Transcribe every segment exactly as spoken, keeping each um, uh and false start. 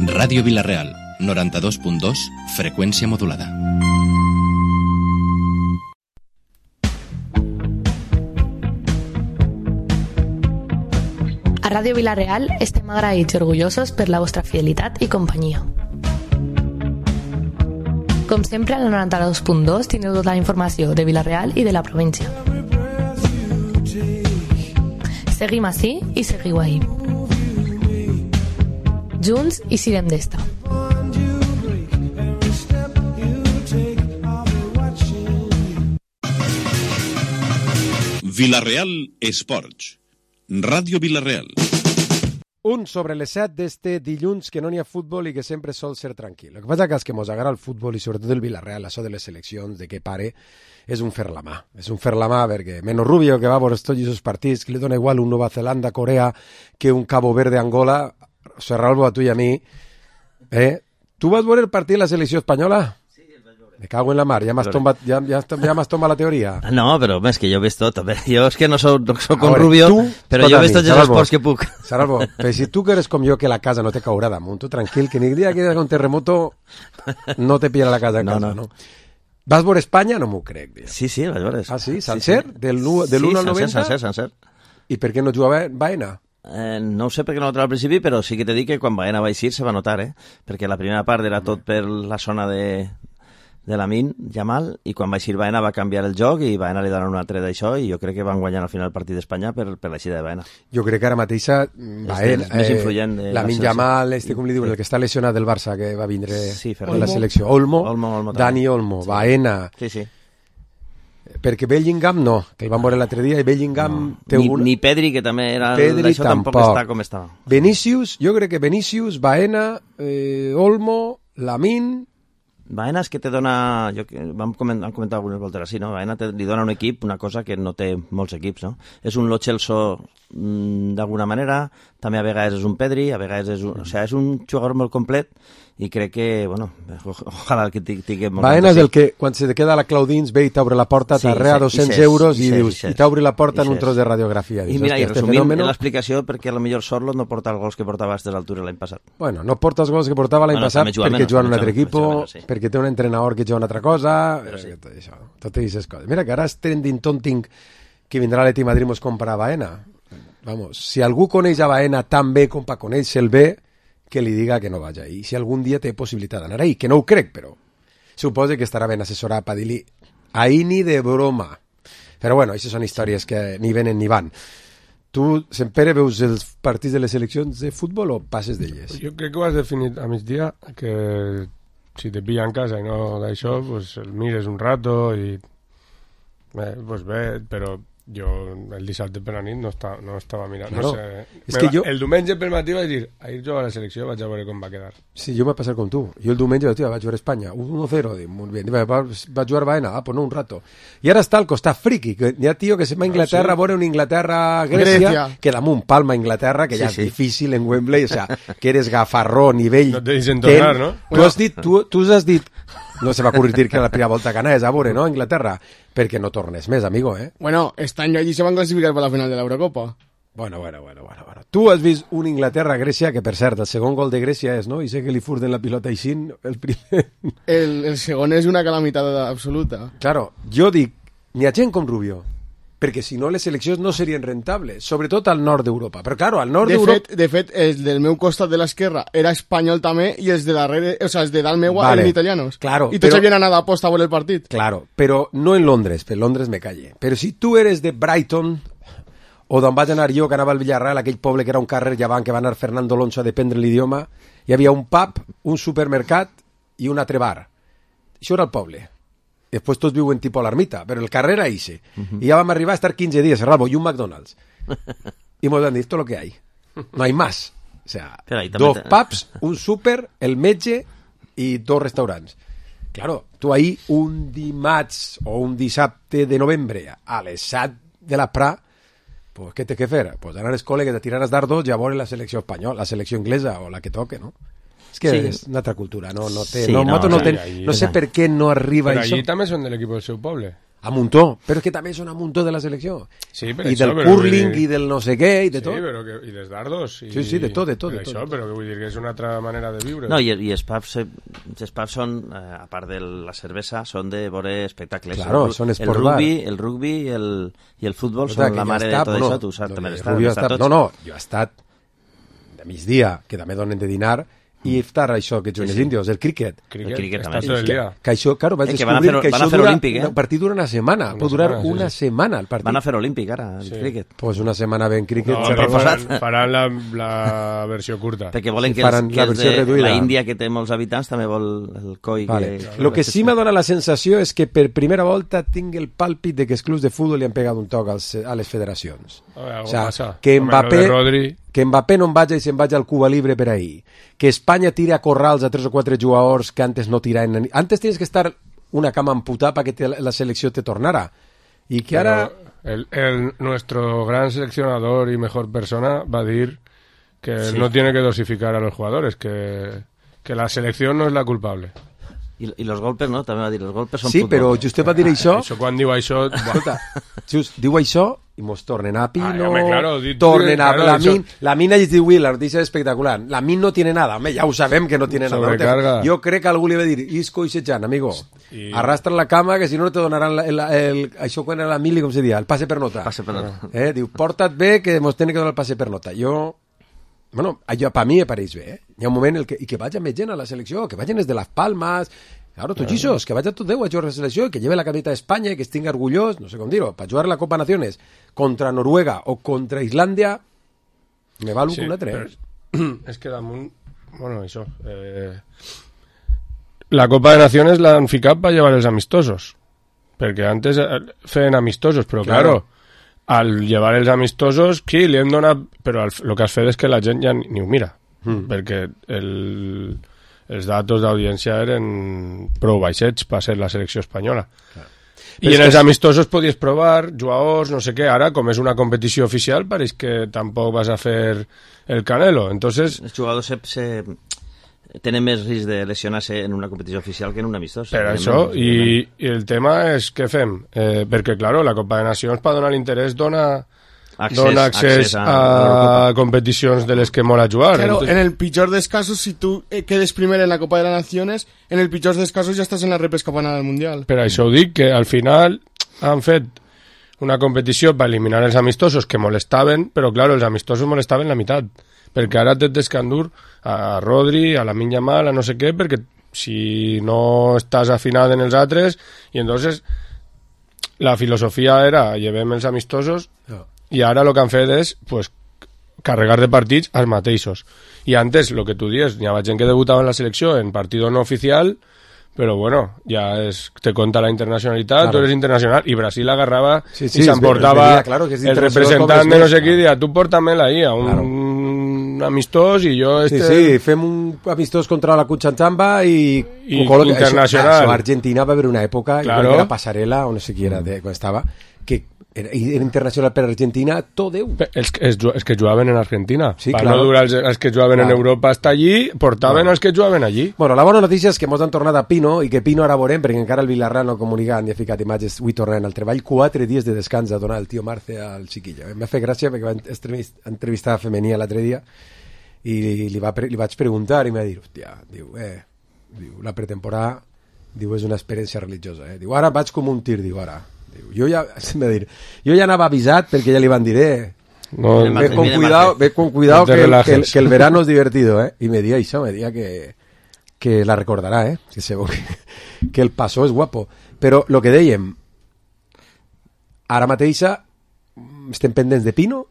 Ràdio Vila-real, noranta-dos punt dos, freqüència modulada. A Ràdio Vila-real estem agraïts i orgullosos per la vostra fidelitat i companyia. Com sempre, al noranta-dos punt dos tindreu tota la informació de Vila-real i de la província. Seguim ací i seguiu ahí. Junts i sirem d'esta. Vila-real Esports. Ràdio Vila-real. Un sobre les set d'este dilluns que no n'hi ha futbol i que sempre sol ser tranquil. El que passa que els que mos agrada el futbol i sobretot el Vila-real, això de les seleccions, de què pare, és un fer la mà. És un fer la mà perquè Meno Rubio, que va a veure tots aquests partits, que li dona igual un Nova Zelanda, Corea, que un Cabo Verde, Angola, Serralbo, a tu i a mi. Eh? Tu vas veure el partit de la selecció espanyola? Me cago en la mar, ja m'has tombat, ja, ja, ja m'has tombat la teoria. No, però és que jo he vist tot. Jo és que no soc, no soc con Rubio, tu, però jo he vist tots els esports que puc. Saralbo, però si tu que eres com jo, que la casa no te caurà damunt, tu tranquil, que ni el dia que hi hagi un terremoto no te pillarà la casa a casa, no? no. no. Vas veure Espanya? No m'ho crec. Dia. Sí, sí, vaig veure. Ah, sí? Sencer? Sí, sí. Del l'u al noventa? Sí, sencer, sencer. I per què no jugava Baena? Eh, no ho sé perquè no ho trobo al principi, però sí que t'he dit que quan Baena va eixir se va notar, eh? Perquè la primera part era tot per la zona de... de Lamin, Jamal, i quan va eixir Baena va canviar el joc i Baena li donen un altre d'això i jo crec que van guanyar al final el partit d'Espanya per, per l'eixida de Baena. Jo crec que ara mateixa Baena, és més influent de Lamin Jamal, este com li diuen, el que està lesionat del Barça que va vindre sí, en la selecció, Olmo, Olmo, Olmo Dani Olmo, sí. Baena sí, sí. Perquè Bellingham no, que el van veure l'altre dia i Bellingham no. té ni, un... ni Pedri, que també era Pedri d'això, tampoc. tampoc està com estava. Vinícius, jo crec que Vinícius, Baena, eh, Olmo, Lamin... Baena és que te dona, jo, vam comentar, vam comentar algunes voltes així, no? Baena te, li dona un equip una cosa que no té molts equips, no? És un Lo Celso mmm, d'alguna manera, també a vegades és un Pedri, a vegades és un... O sigui, és un jugador molt complet i crec que, bueno, ojalà que tingui molt... Baena és el que, quan se te queda la clau dins, ve i t'obre la porta, sí, t'arrea dos-cents euros i, i dius, i t'obre la porta en un tros de radiografia. I mira, i resumint fenòmeno... l'explicació perquè potser Sorloth no porta els gols que portava a aquestes altures l'any passat. Bueno, no porta els gols que portava l'any bueno, passat perquè juga en un altre equip, sí. perquè té un entrenador que juga una altra cosa, sí. tot això, totes aquestes coses. Mira que ara és trending tonting que vindrà l'Atlètic Madrid mos compra a Baena. Vamos, si algú coneix a Baena tan bé com per conèixer-el bé, que li diga que no vaja. I si algun dia té possibilitat d'anar ahí, que no ho crec, però suposa que estarà ben assessorat per dir-li ahí ni de broma. Però bueno, aquestes són històries que ni venen ni van. Tu, sempre veus els partits de les seleccions de futbol o passes d'elles? Jo crec que ho has definit a migdia, que si te pilla en casa i no d'això, pues el mires un rato i... Bé, pues bé, però jo el dissabte per la nit no, està, no estava mirant. Claro. No sé. És que va, jo... El diumenge per matí vaig dir, ahir jugar a la selecció, vaig a veure com va quedar. Sí, jo m'ha passat com tu. Jo el diumenge tio, vaig jugar a Espanya, uno cero, dic, molt bé. Va, va jugar Baena, ah, pues no, un rato. I ara està al costat friqui, que hi ha tio que se'n va a Inglaterra, ah, sí. a veure una Inglaterra-Grècia, que damunt palma Inglaterra, que sí, ja és sí. difícil en Wembley, o sea, que eres gafarró, nivell... No te deixen tornar, no? Tu has dit, tu, tu has dit... No se va ocurrir dir que la primera volta que anaves a veure, no, Inglaterra, perquè no tornes més, amigo, eh? Bueno, este any allí se van classificar per la final de l'Eurocopa. Bueno, bueno, bueno, bueno, bueno. Tu has vist un Inglaterra-Grècia, que per cert, el segon gol de Grècia és, no? I sé que li furten la pilota així, el primer... El, el segon és una calamitat absoluta. Claro, jo dic, n'hi ha gent com Rubio, perquè si no les seleccions no serien rentables, sobretot al nord d'Europa. Però claro, al nord de d'Europa... Fet, de fet, els del meu costat de l'esquerra era espanyol també i els de darrere, o sea, els de dalt meu vale. eren italianos. Claro, I tots però... havien anat a posta a veure el partit. Claro, però no en Londres, per Londres me calle. Però si tu eres de Brighton, o d'on vaig anar jo, que anava al Villarreal, aquell poble que era un carrer llevant, que va anar Fernando Alonso a dependre l'idioma, hi havia un pub, un supermercat i un altre bar. Això era el poble. Després tots viuen tipus a l'ermita, però el carrer era ixe. Uh -huh. I ja vam arribar a estar quinze dies, Rabo, i un McDonald's. I mos han dit, tot lo que hay. No hay más. O sea, dos pubs, un súper, el metge i dos restaurants. Claro, tu ahí un dimarts o un dissabte de novembre a les set de la Pra, pues què té que fer? Pues anar a l'escola que te tiraràs dardos i a veure la selecció espanyola, la selecció inglesa o la que toque, no? És que sí. és una altra cultura, no, no té... Sí, no, no, no, no, sí, ten, ahí, no sé per què no arriba però això. allí també són de l'equip del seu poble. a muntó, però és que també són a muntó de la selecció. Sí, per I això, del però curling vull dir- i del no sé què i de Sí, tot. però que, i dels dardos. I, Sí, sí, de tot, de tot, per de tot, Això, de tot. però que vull dir que és una altra manera de viure. No, i, i els pubs, eh, els pubs són, eh, a part de la cervesa, són de veure espectacles. Claro, el, són el esport rugby, bar. el rugby i el, i el futbol Escolta, són que la jo mare he de estat, tot bueno, això, tu saps, no, també el l'estàs, rugby ha estat estat- tots. No, no, jo he estat de migdia, que també donen de dinar, i iftar, això, que juguin els índios, el críquet. Cricket, el cricket està també. tot el Que, dia. que això, claro, vaig Eh, que van a descobrir fer- que van a això fer dura, olímpic, eh? el partit dura una setmana, Una pot durar setmana, sí, una sí. setmana el partit. Van a fer olímpic ara, el Sí. cricket. Pues una setmana ben críquet. No, se però recorda- faran, faran la, la versió curta. Perquè volen Sí, que, els, faran que la els versió de reduïda. la Índia, que té molts habitants, també vol el coi. Vale. Que, Lo que sí m'ha donat la sensació és que per primera volta tinc el pàlpit de que els clubs de futbol li han pegat un toc als, a les federacions. A veure, O sea, passa. que Home, lo Mbappé, de Rodri... que Mbappé no en vagi i se'n vagi al Cuba Libre per ahir. Que Espanya tire a corrals a tres o quatre jugadors que antes no tiraven. Antes tienes que estar una cama amputada para que te, la selección te tornara. Y que ahora... Pero el, el- nuestro gran seleccionador y mejor persona va a decir que Sí. no tiene que dosificar a los jugadores, que, que la selección no es la culpable. I, I los golpes, no? També va dir, els golpes són Sí, futbol. però just va dir això... Això quan diu això... buah. Escolta, just diu això i mos tornen a Pino, Ay, hombre, claro, di- tornen a claro, la eso- Min. La Min allí diu, la notícia és espectacular. La Min no tiene nada. Home, ja ho sabem que no tiene nada. No te- Sobrecarga. Jo crec que algú li va dir, Isco i Setjan, amigo, I- arrastra la cama que si no no te donaran la, el, el, això quan era la mili, com se dia, el passe per nota. Passe per nota. Eh? Diu, porta't bé que mos tenen que donar el passe per nota. Jo... Bueno, allò per mi me pareix bé, eh? Hi ha un moment en el que, i que vagi més gent a la selecció, que vagin des de les Palmes, claro, tots ixos, que vagi tot Déu a jugar a la selecció, que lleve la camiseta d'Espanya, que estigui orgullós, no sé com dir-ho, per jugar a la Copa Naciones contra Noruega o contra Islàndia, me val un Sí, un altre, però eh? és, és que damunt... Bueno, això... Eh, la Copa de Naciones l'han ficat per llevar els amistosos. Perquè antes eh, feien amistosos, però Claro. claro, al llevar els amistosos, sí, li hem donat... Però el, el que has fet és que la gent ja ni, ni ho mira. Mm. Perquè el, els datos d'audiència eren prou baixets per ser la selecció espanyola. Però I és en que els és- amistosos podies provar jugadors, no sé què. Ara, com és una competició oficial, pareix que tampoc vas a fer el Canelo. Entonces, Els jugadors se, se, tenen més risc de lesionar-se en una competició oficial que en un amistós. per això, i, i el tema és què fem? Eh, perquè, claro, la Copa de Nacions, per donar l'interès, dona, Accés, dona accés, accés a, a, a l'Eurocopa. competicions de les que mola jugar. Claro, Entonces, en el pitjor dels casos, si tú eh, quedes primero en la Copa de las Naciones, en el pitjor dels casos ya estás en la repesca para ganar el Mundial. Per això ho dic, que al final han fet una competició per eliminar els amistosos que molestaven, però, claro, els amistosos molestaven la meitat. Perquè ara té d'escandur a Rodri, a la Lamine Yamal, a no sé què, perquè si no estàs afinat en els altres, i entonces la filosofia era llevem els amistosos, No. i ara el que han fet és pues, carregar de partits als mateixos. I antes, el que tu dius, hi havia gent que debutava en la selecció en partit no oficial, però bueno, ja es, te conta la internacionalitat, Claro. tu eres internacional, i Brasil agarrava Sí, sí, i es s'emportava ve- es veia, claro, que és el internacional representant com de és no sé més, qui, claro. dia, tu porta-me'l ahí a un, Claro. un amistós i jo... Sí, Este... sí, fem un amistós contra la Cuchanchamba i... I ho col·loca- internacional. Això, això, Argentina va haver una època, Claro. claro. que era Passarela, o no sé qui era, de, quan estava, que era, era internacional per Argentina, tot Déu. Pe- Els, els, ju- els que jugaven en Argentina. Sí, per claro. no durar els, els que jugaven Claro. en Europa hasta allí, portaven Claro. els que jugaven allí. Bueno, la bona notícia és que mos han tornat a Pino i que Pino ara veurem, perquè encara el Villarreal no ha comunicat ni ha ficat imatges, avui tornant al treball, quatre dies de descans a donar el tio Marce al xiquillo. M'ha fet gràcia perquè va entrevist- entrevistar a Femení l'altre dia i li, va, pre- li vaig preguntar i m'ha dit, hòstia, diu, eh, diu, la pretemporada, diu, és una experiència religiosa, eh. Diu, ara vaig com un tir, diu, ara. Diu, jo ja, m'ha dit, jo ja anava avisat perquè ja li van dir, eh, No, Mira, ve con mira, cuidado, Marce. ve con cuidado No te que, el, que, el, relajes. que el verano es divertido, ¿eh? Y me decía eso, me decía que, que la recordará, ¿eh? Que, se, que, que el paso es guapo. Però lo que dèiem, ara mateixa estem pendents de Pino,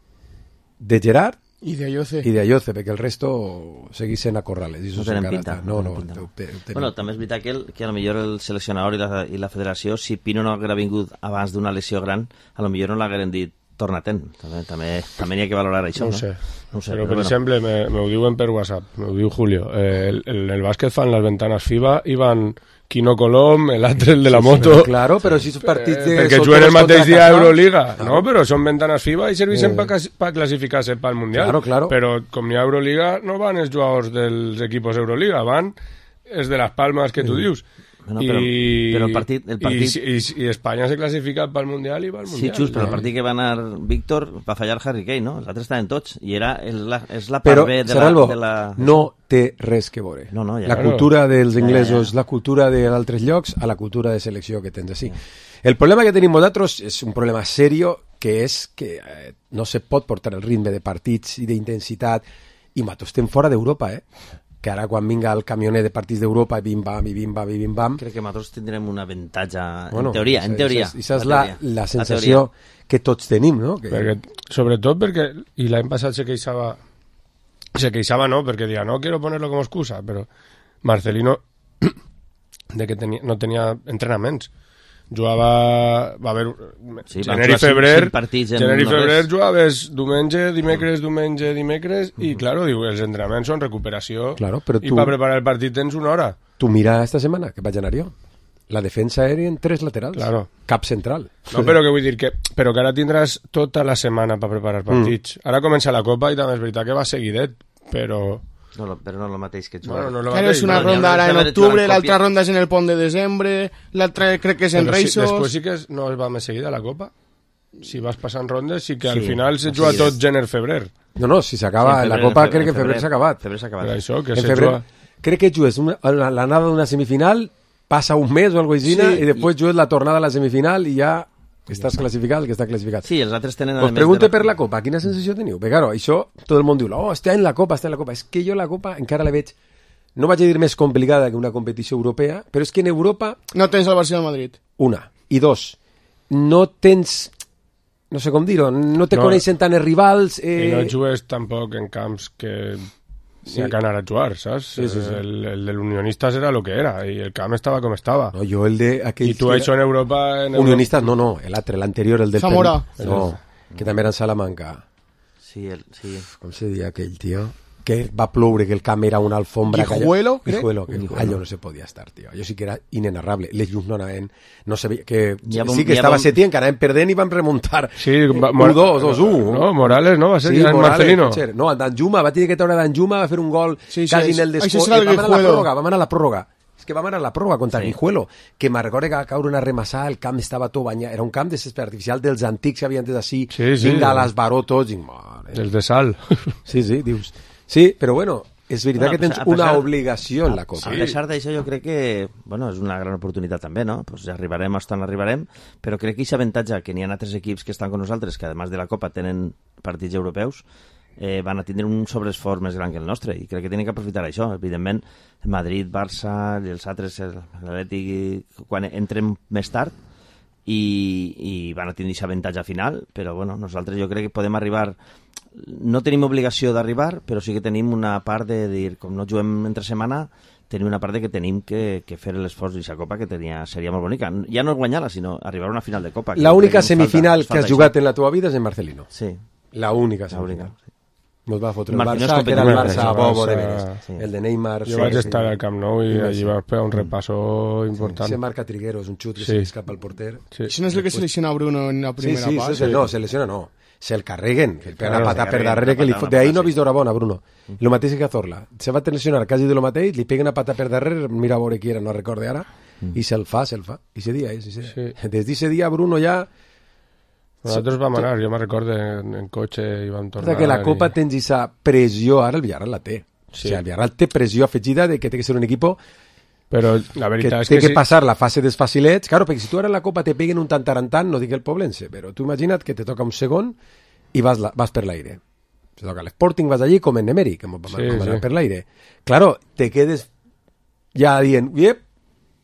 de Gerard Y de Ayoce. i de Ayoce, perquè el resto seguís sent a Corrales. I eso No tenen encara pinta. està. No, no, tenen pinta. ho te- ho tenim. Bueno, també és veritat que, el, que a lo millor el seleccionador i la, i la federació, si Pino no haguera vingut abans d'una lesió gran, a lo millor no l'hagueren dit torna-te'n. També, també, també n'hi ha que valorar això, no no? ho sé. No ho sé, però, però per bueno. exemple, me, me ho diuen per WhatsApp, me ho diu Julio. Eh, el, el, el bàsquet fan les ventanes FIBA i van Quino Colom, el altre, el de la moto... Però, claro, però si són partits de... Eh, perquè són juguen el todos mateix contra dia a Qatar. Euroliga, Claro. no? Però són ventanes FIBA i serveixen Eh. per pa classificar-se pel Mundial. Claro, claro. Però com n'hi ha Euroliga, no van els jugadors dels equipos Euroliga, van els de les palmes que tu dius. Bueno, però, I, però el partit... El partit... I, i, I Espanya se classifica pel Mundial i va al Sí, Mundial. just, però el partit que va anar Víctor va fallar Harry Kane, no? Els altres estaven tots. I era, és la, és la part Però, B de Serralbo, la, de la... no té res que veure. No, no, ja. La Claro. cultura dels inglesos, Ja, ja. la cultura d'altres llocs, a la cultura de selecció que tens així. El problema que tenim nosaltres és un problema serio, que és que eh, no se pot portar el ritme de partits i d'intensitat, i nosaltres estem fora d'Europa, eh? Que ara quan vinga el camioner de partits d'Europa i bim-bam, i bim-bam, i bim-bam... Crec que nosaltres tindrem un avantatge, Bueno, en teoria, en teoria. Això és la, la sensació que tots tenim, no? Que... Perquè, sobretot perquè, i l'any passat se queixava, se queixava no, perquè deia, no quiero ponerlo como excusa, però Marcelino de que tenia, no tenia entrenaments. Jugava, va haver, Sí, van gener i jugar cinc- febrer, cinc partits en gener i no febrer res. jugaves diumenge, dimecres, diumenge, dimecres, i claro, diu, els entrenaments són recuperació, Claro, però i tu- per preparar el partit tens una hora. Tu mira esta setmana, que vaig anar jo. La defensa aèria en tres laterals. Claro. Cap central. No, però que vull dir que, però que ara tindràs tota la setmana per preparar partits. Mm. Ara comença la Copa i també és veritat que va seguidet, però... No, lo- però no el mateix que jugar. Bueno, no lo Claro, mateix, és una no? no, ronda no, ara no, en no, no, octubre, no, l'altra copia. ronda és en el pont de desembre, l'altra crec que és en Però sí, Reixos... després sí que és, no es va més seguida la Copa. Si vas passant rondes, sí que al Sí, final se sí, juga sí. tot gener-febrer. No, no, si s'acaba, Sí, en la febrer, Copa en crec que en febrer s'ha acabat. Febrer s'ha Per acabat. això, que En se febrer, juga... crec que jugues una, la- l'anada d'una semifinal, passa un mes o alguna cosa així, Sí, i després jugues la tornada a la semifinal i ja estàs classificat, el que està classificat. Sí, els altres tenen... a Us més pregunte de la- per la Copa, quina sensació teniu? Perquè, claro, això, tot el món diu, oh, està en la Copa, està en la Copa. És que jo la Copa encara la veig, no vaig a dir més complicada que una competició europea, però és que en Europa, No tens el Barça del Madrid. una, i dos, no tens, no sé com dir-ho, no te No. coneixen tant els rivals... Eh... I no jugues tampoc en camps que Sí. sí. ha que anar a jugar, saps? Sí, sí, sí. El, el de l'Unionistas era lo que era, i el camp estava com estava. No, jo el de... Aquells I tu que això en Europa... En Unionistas, no, no, l'altre, l'anterior, el del... Zamora. Pen- No, que també era en Salamanca. Sí, el, sí. Com se deia aquell, tio? Que va ploure, que el camp era una alfombra... que allò- Guijuelo, crec? Guijuelo, que allò no se podia estar, tio. Allò sí que era inenarrable. Les llums no anaven... No sabia, que, Ja vam- sí que ja estava vam- Setién, que anaven perdent i van remuntar. Sí, eh, va- u dos, dos u. No, Morales, no? Va ser Sí, ja en Morales, Marcelino. pot ser. No, Danjuma, va tenir que treure Danjuma, va fer un gol Sí, sí, quasi això- en el això descó. serà el Vam anar a la Guijuelo. pròrroga, vam anar a la pròrroga. És que vam anar a la pròrroga contra Sí. sí. Guijuelo, que me'n recordo que va caure una remassada, el camp estava tot banyat, era un camp de césped artificial dels antics que havien antes així, Sí, sí. vinga, a les baró tots, i mare. Els de Sal. Sí, sí, dius. Sí, però bueno, és veritat Bueno, que tens a pesar- una obligació en la Copa. A pesar d'això, jo crec que bueno, és una gran oportunitat també, no? Pues ja arribarem hasta on arribarem, però crec que aquest avantatge que n'hi ha altres equips que estan con nosaltres, que además de la Copa tenen partits europeus, eh, van a tindre un sobreesforç més gran que el nostre, i crec que tenen que aprofitar això. Evidentment, Madrid, Barça i els altres, l'Atlètic, quan entrem més tard, i, i van a tenir aquest avantatge final, però bueno, nosaltres jo crec que podem arribar, no tenim obligació d'arribar, però sí que tenim una part de dir, com no juguem entre setmana, tenim una part de que tenim que, que fer l'esforç d'aquesta Copa, que tenia, seria molt bonica. Ja no guanyar-la, sinó arribar a una final de Copa. que La jo única crec que ens semifinal falta- que has falta jugat això. en la teva vida és en Marcelino. Sí, La única la semifinal. única. Sí. Mos va fotre el Marcelino Barça, és que era el competitiu. Barça a bobo de Barça, veres. sí. El de Neymar. Jo sí, vaig sí. estar al Camp Nou i Sí, allí sí. vam fer un repasso important. Se marca Trigueros, un xut que Sí. se li escapa al porter. Sí. Això no és el que se lesiona Bruno en la Sí, primera sí, part. eso es- no, se lesiona no. Se el carreguen, que el pega Claro, una se pata per carreguen, darrere que li una fot... pata, De ahí una no he pata, vist d'hora bona, Bruno. Lo mateix que Cazorla. Se va lesionar quasi de lo mateix, li pega una pata per darrere, mira a veure qui era, no recorde ara, i se'l fa, se'l fa. I ese dia, eh, ese dia. Sí. Des d'ese dia, Bruno ja... Nosaltres vam anar, jo me'n recordo, en, en cotxe i vam tornar. Recorda que la Copa i... tens esa pressió, ara el Villarreal la té. Sí. O sigui, el Villarreal té pressió afegida de que té que ser un equip Però la que veritat és té que, que sí. passar la fase dels facilets. Claro, perquè si tu ara en la Copa te peguen un tantarantant, no dic el Poblense, però tu imagina't que te toca un segon i vas, la, vas per l'aire. Se toca l'Sporting, vas allí com en Emery, que vam Sí, anar sí. per l'aire. Claro, te quedes ja dient, yep,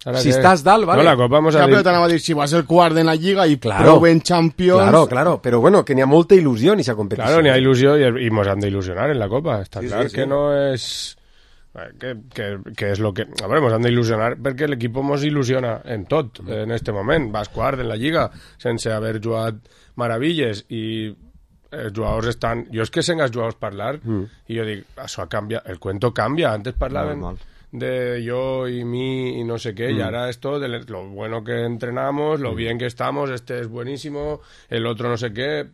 Ara si què? estàs dalt, vale. No, la Copa mos Ja, ha però dit... t'anava a dir, si vas el quart en la Lliga i Claro. prou en Champions... Claro, claro, però bueno, que n'hi ha molta il·lusió en aquesta competició. Claro, n'hi ha il·lusió i, i mos han d'il·lusionar en la Copa. Està Sí, clar sí, sí. que no és... Que, que, que és lo que... A veure, mos han d'il·lusionar perquè l'equip mos il·lusiona en tot, en este moment. Vas quart en la Lliga sense haver jugat meravilles i els jugadors estan... Jo és que sent els jugadors parlar mm. i jo dic, això ha canviat, el cuento canvia. Antes parlaven Molt, molt. de yo y mí y no sé qué, mm. y ahora esto de lo bueno que entrenamos, lo mm. bien que estamos, este es buenísimo, el otro no sé qué...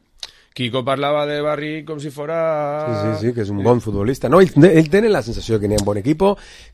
Quico parlava de Barry com si fora... Sí, sí, sí, que és un bon futbolista. No, ells, ells tenen la sensació que n'hi ha un bon equip,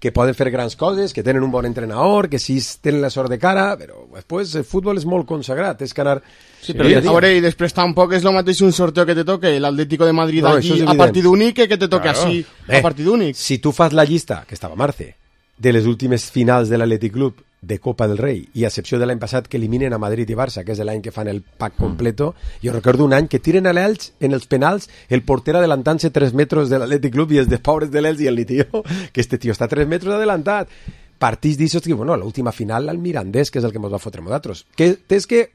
que poden fer grans coses, que tenen un bon entrenador, que sí tenen la sort de cara, però després el futbol és molt consagrat, és que anar... Sí, però sí, a veure, i després tampoc és el mateix un sorteo que te toque l'Atlético de Madrid no, allí a partit únic que que te toque claro. així Bé, a partit únic. Si tu fas la llista, que estava a Marce, de les últimes finals de l'Atlètic Club de Copa del Rei, i a excepció de l'any passat que eliminen a Madrid i Barça, que és l'any que fan el pack completo, mm. jo recordo un any que tiren a l'Elx en els penals, el porter adelantant-se tres metres de l'Atlètic Club i els de pobres de l'Elx i el tio, que este tio està tres metres adelantat. Partits d'això, que bueno, l'última final al Mirandés, que és el que ens va fotre nosaltres. Que és que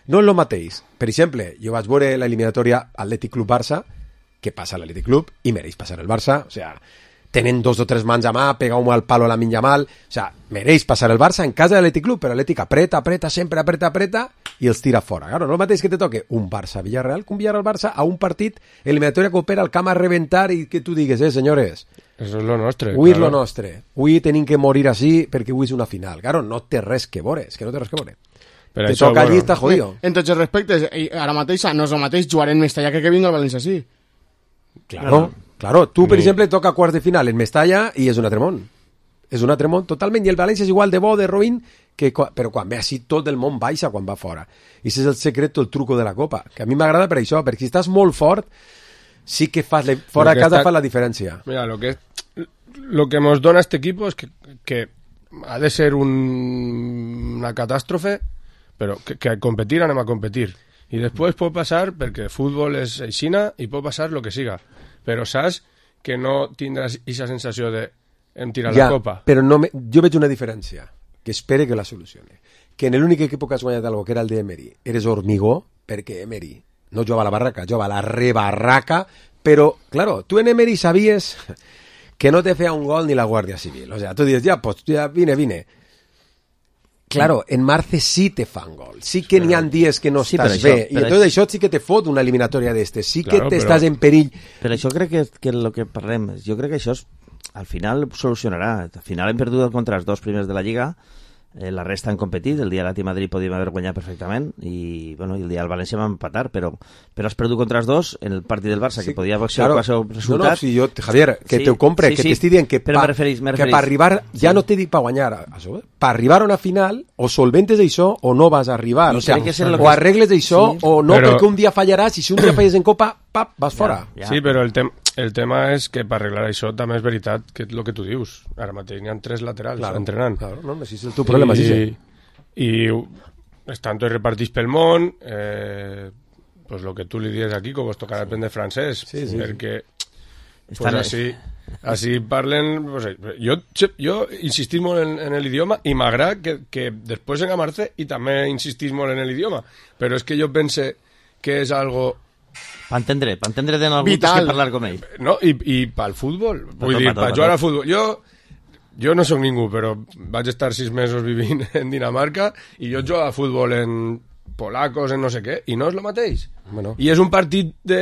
no és el mateix. Per exemple, jo vaig veure l'eliminatòria Atlètic Club Barça, que passa a l'Atlètic Club i mereix passar el Barça, o sea, tenen dos o tres mans a mà, pega un al palo a la minya mal, o sea, mereix passar el Barça en casa de l'Atlètic Club, però l'Atlètic apreta, apreta, sempre apreta, apreta i els tira fora. Claro, no és el mateix que te toque un Barça-Villarreal que un Villarreal-Barça a un partit eliminatòria que opera al camp a reventar i que tu digues, eh, senyores, eso es lo nostre. Avui claro. és lo nostre. Avui tenim que morir així perquè avui és una final. Claro, no té res que veure, és que no té res que veure. Però te això, toca allí bueno, i està jodido. En tots els respectes, ara mateix no és el mateix jugar en Mestalla que que vinga al València, sí. Claro, claro. Tu, per Ni... exemple, toca quarts de final en Mestalla i és un altre món. És un altre món totalment, i el València és igual de bo, de roïn, que, però quan ve així tot el món baixa quan va fora. I això és el secret, el truco de la Copa, que a mi m'agrada per això, perquè si estàs molt fort, sí que fas le... fora de casa está... fa la diferència. Mira, lo que, lo que nos dona este equipo es que, que ha de ser un, una catástrofe, però que, que a competir anem a competir. I després pot passar, perquè el futbol és aixina, i pot passar lo que siga. Però saps que no tindràs aquesta sensació de hem tirat ja, la copa. Però no me... jo veig una diferència, que espere que la solucione. Que en l'únic equip que has guanyat algo, que era el de Emery, eres hormigó, perquè Emery no jugava a la barraca, jugava a la rebarraca, però, claro, tu en Emery sabies que no te feia un gol ni la Guàrdia Civil. O sea, tu dius, ja, pues, ja vine, vine. Claro, en Marce sí te fan gol. Sí que n'hi ha dies que no sí, estàs això, bé. I tot això sí que te fot una eliminatòria d'estes. Sí claro, que t'estàs però... en perill. Per això crec que, que el que parlem, jo crec que això és, al final solucionarà. Al final hem perdut contra els dos primers de la Lliga, eh, la resta han competit, el dia de l'Atlètic Madrid podíem haver guanyat perfectament i, bueno, i el dia del València vam empatar, però, però has perdut contra els dos en el partit del Barça, sí, que podia ser claro, el resultat. No, no, si jo, Javier, que sí, te ho compre, sí, que sí, t'estic dient que, pa, referís, que per arribar, sí. ja no t'he dit per guanyar, això, per arribar a una final, o solventes això o no vas a arribar, o, sea, o arregles això sí, o no, però... perquè un dia fallaràs i si un dia falles en Copa, pap, vas fora. Ja, ja. Sí, però el, tem el tema és que per arreglar això també és veritat que és el que tu dius. Ara mateix n'hi ha tres laterals claro, entrenant. Claro, no, si és el teu problema, I, sí. I estan tots repartits pel món, eh, pues lo que tu li dius aquí, com vos tocarà aprendre francès, sí, sí, perquè sí. Pues així, així parlen... Pues, jo, jo insistís molt en, en l'idioma i m'agrada que, que després en Marce i també insistís molt en l'idioma, però és que jo pense que és algo... Per entendre, per entendre de algú tens que parlar com ell. No, i, i pel futbol. Vull dir, per jugar al futbol. Jo, jo no sóc ningú, però vaig estar sis mesos vivint en Dinamarca i jo jugo a futbol en polacos, en no sé què, i no és el mateix. Bueno. I és un partit de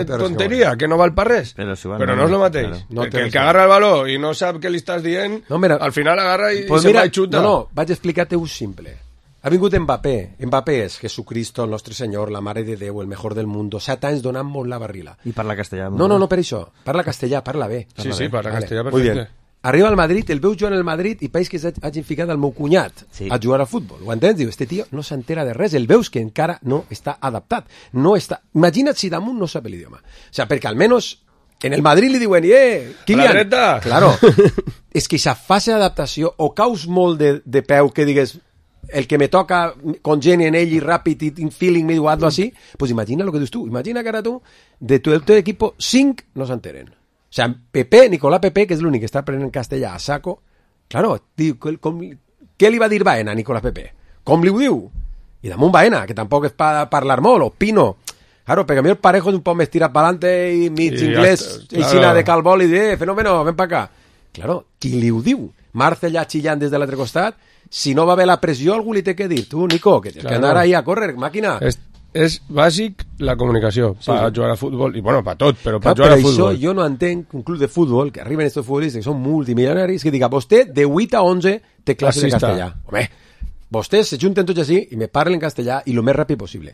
no tonteria, que, que no val per res, però, si però no, no és el mateix. Claro. No el que agarra el baló i no sap què li estàs dient, no, mira, al final agarra i, pues i mira, se va i xuta. No, no, vaig explicar-te un simple. Ha vingut Mbappé. Mbappé és Jesucristo, el nostre senyor, la mare de Déu, el mejor del mundo. Set anys donant-nos la barrila. I parla castellà. No, no, no per això. Parla castellà, parla bé. Sí, parla sí, bé. parla vale. castellà perfecte. Arriba al Madrid, el veu jugant al Madrid i pareix que hagin ficat el meu cunyat sí. a jugar a futbol. Ho entens? Diu, este tio no s'entera de res. El veus que encara no està adaptat. No està... Imagina't si damunt no sap l'idioma. O sea, perquè almenys en el Madrid li diuen, eh, Kylian... A la dreta! Claro. És que aquesta fase d'adaptació o caus molt de, de peu que digues... el que me toca congeni en ell i ràpid i in feeling me diu hazlo así, pues imagina lo que dius tu, imagina que ara tu de tu, tu equipo cinc no s'enteren, o sea, Pepe, Nicolás Pepe, que és l'únic que està aprenent castellà a saco, claro, diu, com, què li va dir Baena a Nicolás Pepe? Com li ho diu? I damunt Baena, que tampoc és per parlar molt, o Pino, claro, perquè a mi el Parejo és un poc més tirat per adelante i mig sí, inglès, i claro. Xina de calbol i de, eh, fenómeno, ven pa acá. Claro, qui li ho diu? Marce allà xillant des de l'altre costat. Si no va haver la pressió, algú li té que dir. Tu, Nico, que tens claro. que anar ahí a córrer, màquina. És, és bàsic la comunicació sí. per jugar a futbol, i bueno, per tot, però per clar, jugar per a futbol. Això jo no entenc un club de futbol, que arriben estos futbolistes que són multimilionaris, que diga, vostè de vuit a onze té classe de castellà. Home, vostès se junten tots així i me parlen castellà i el més ràpid possible.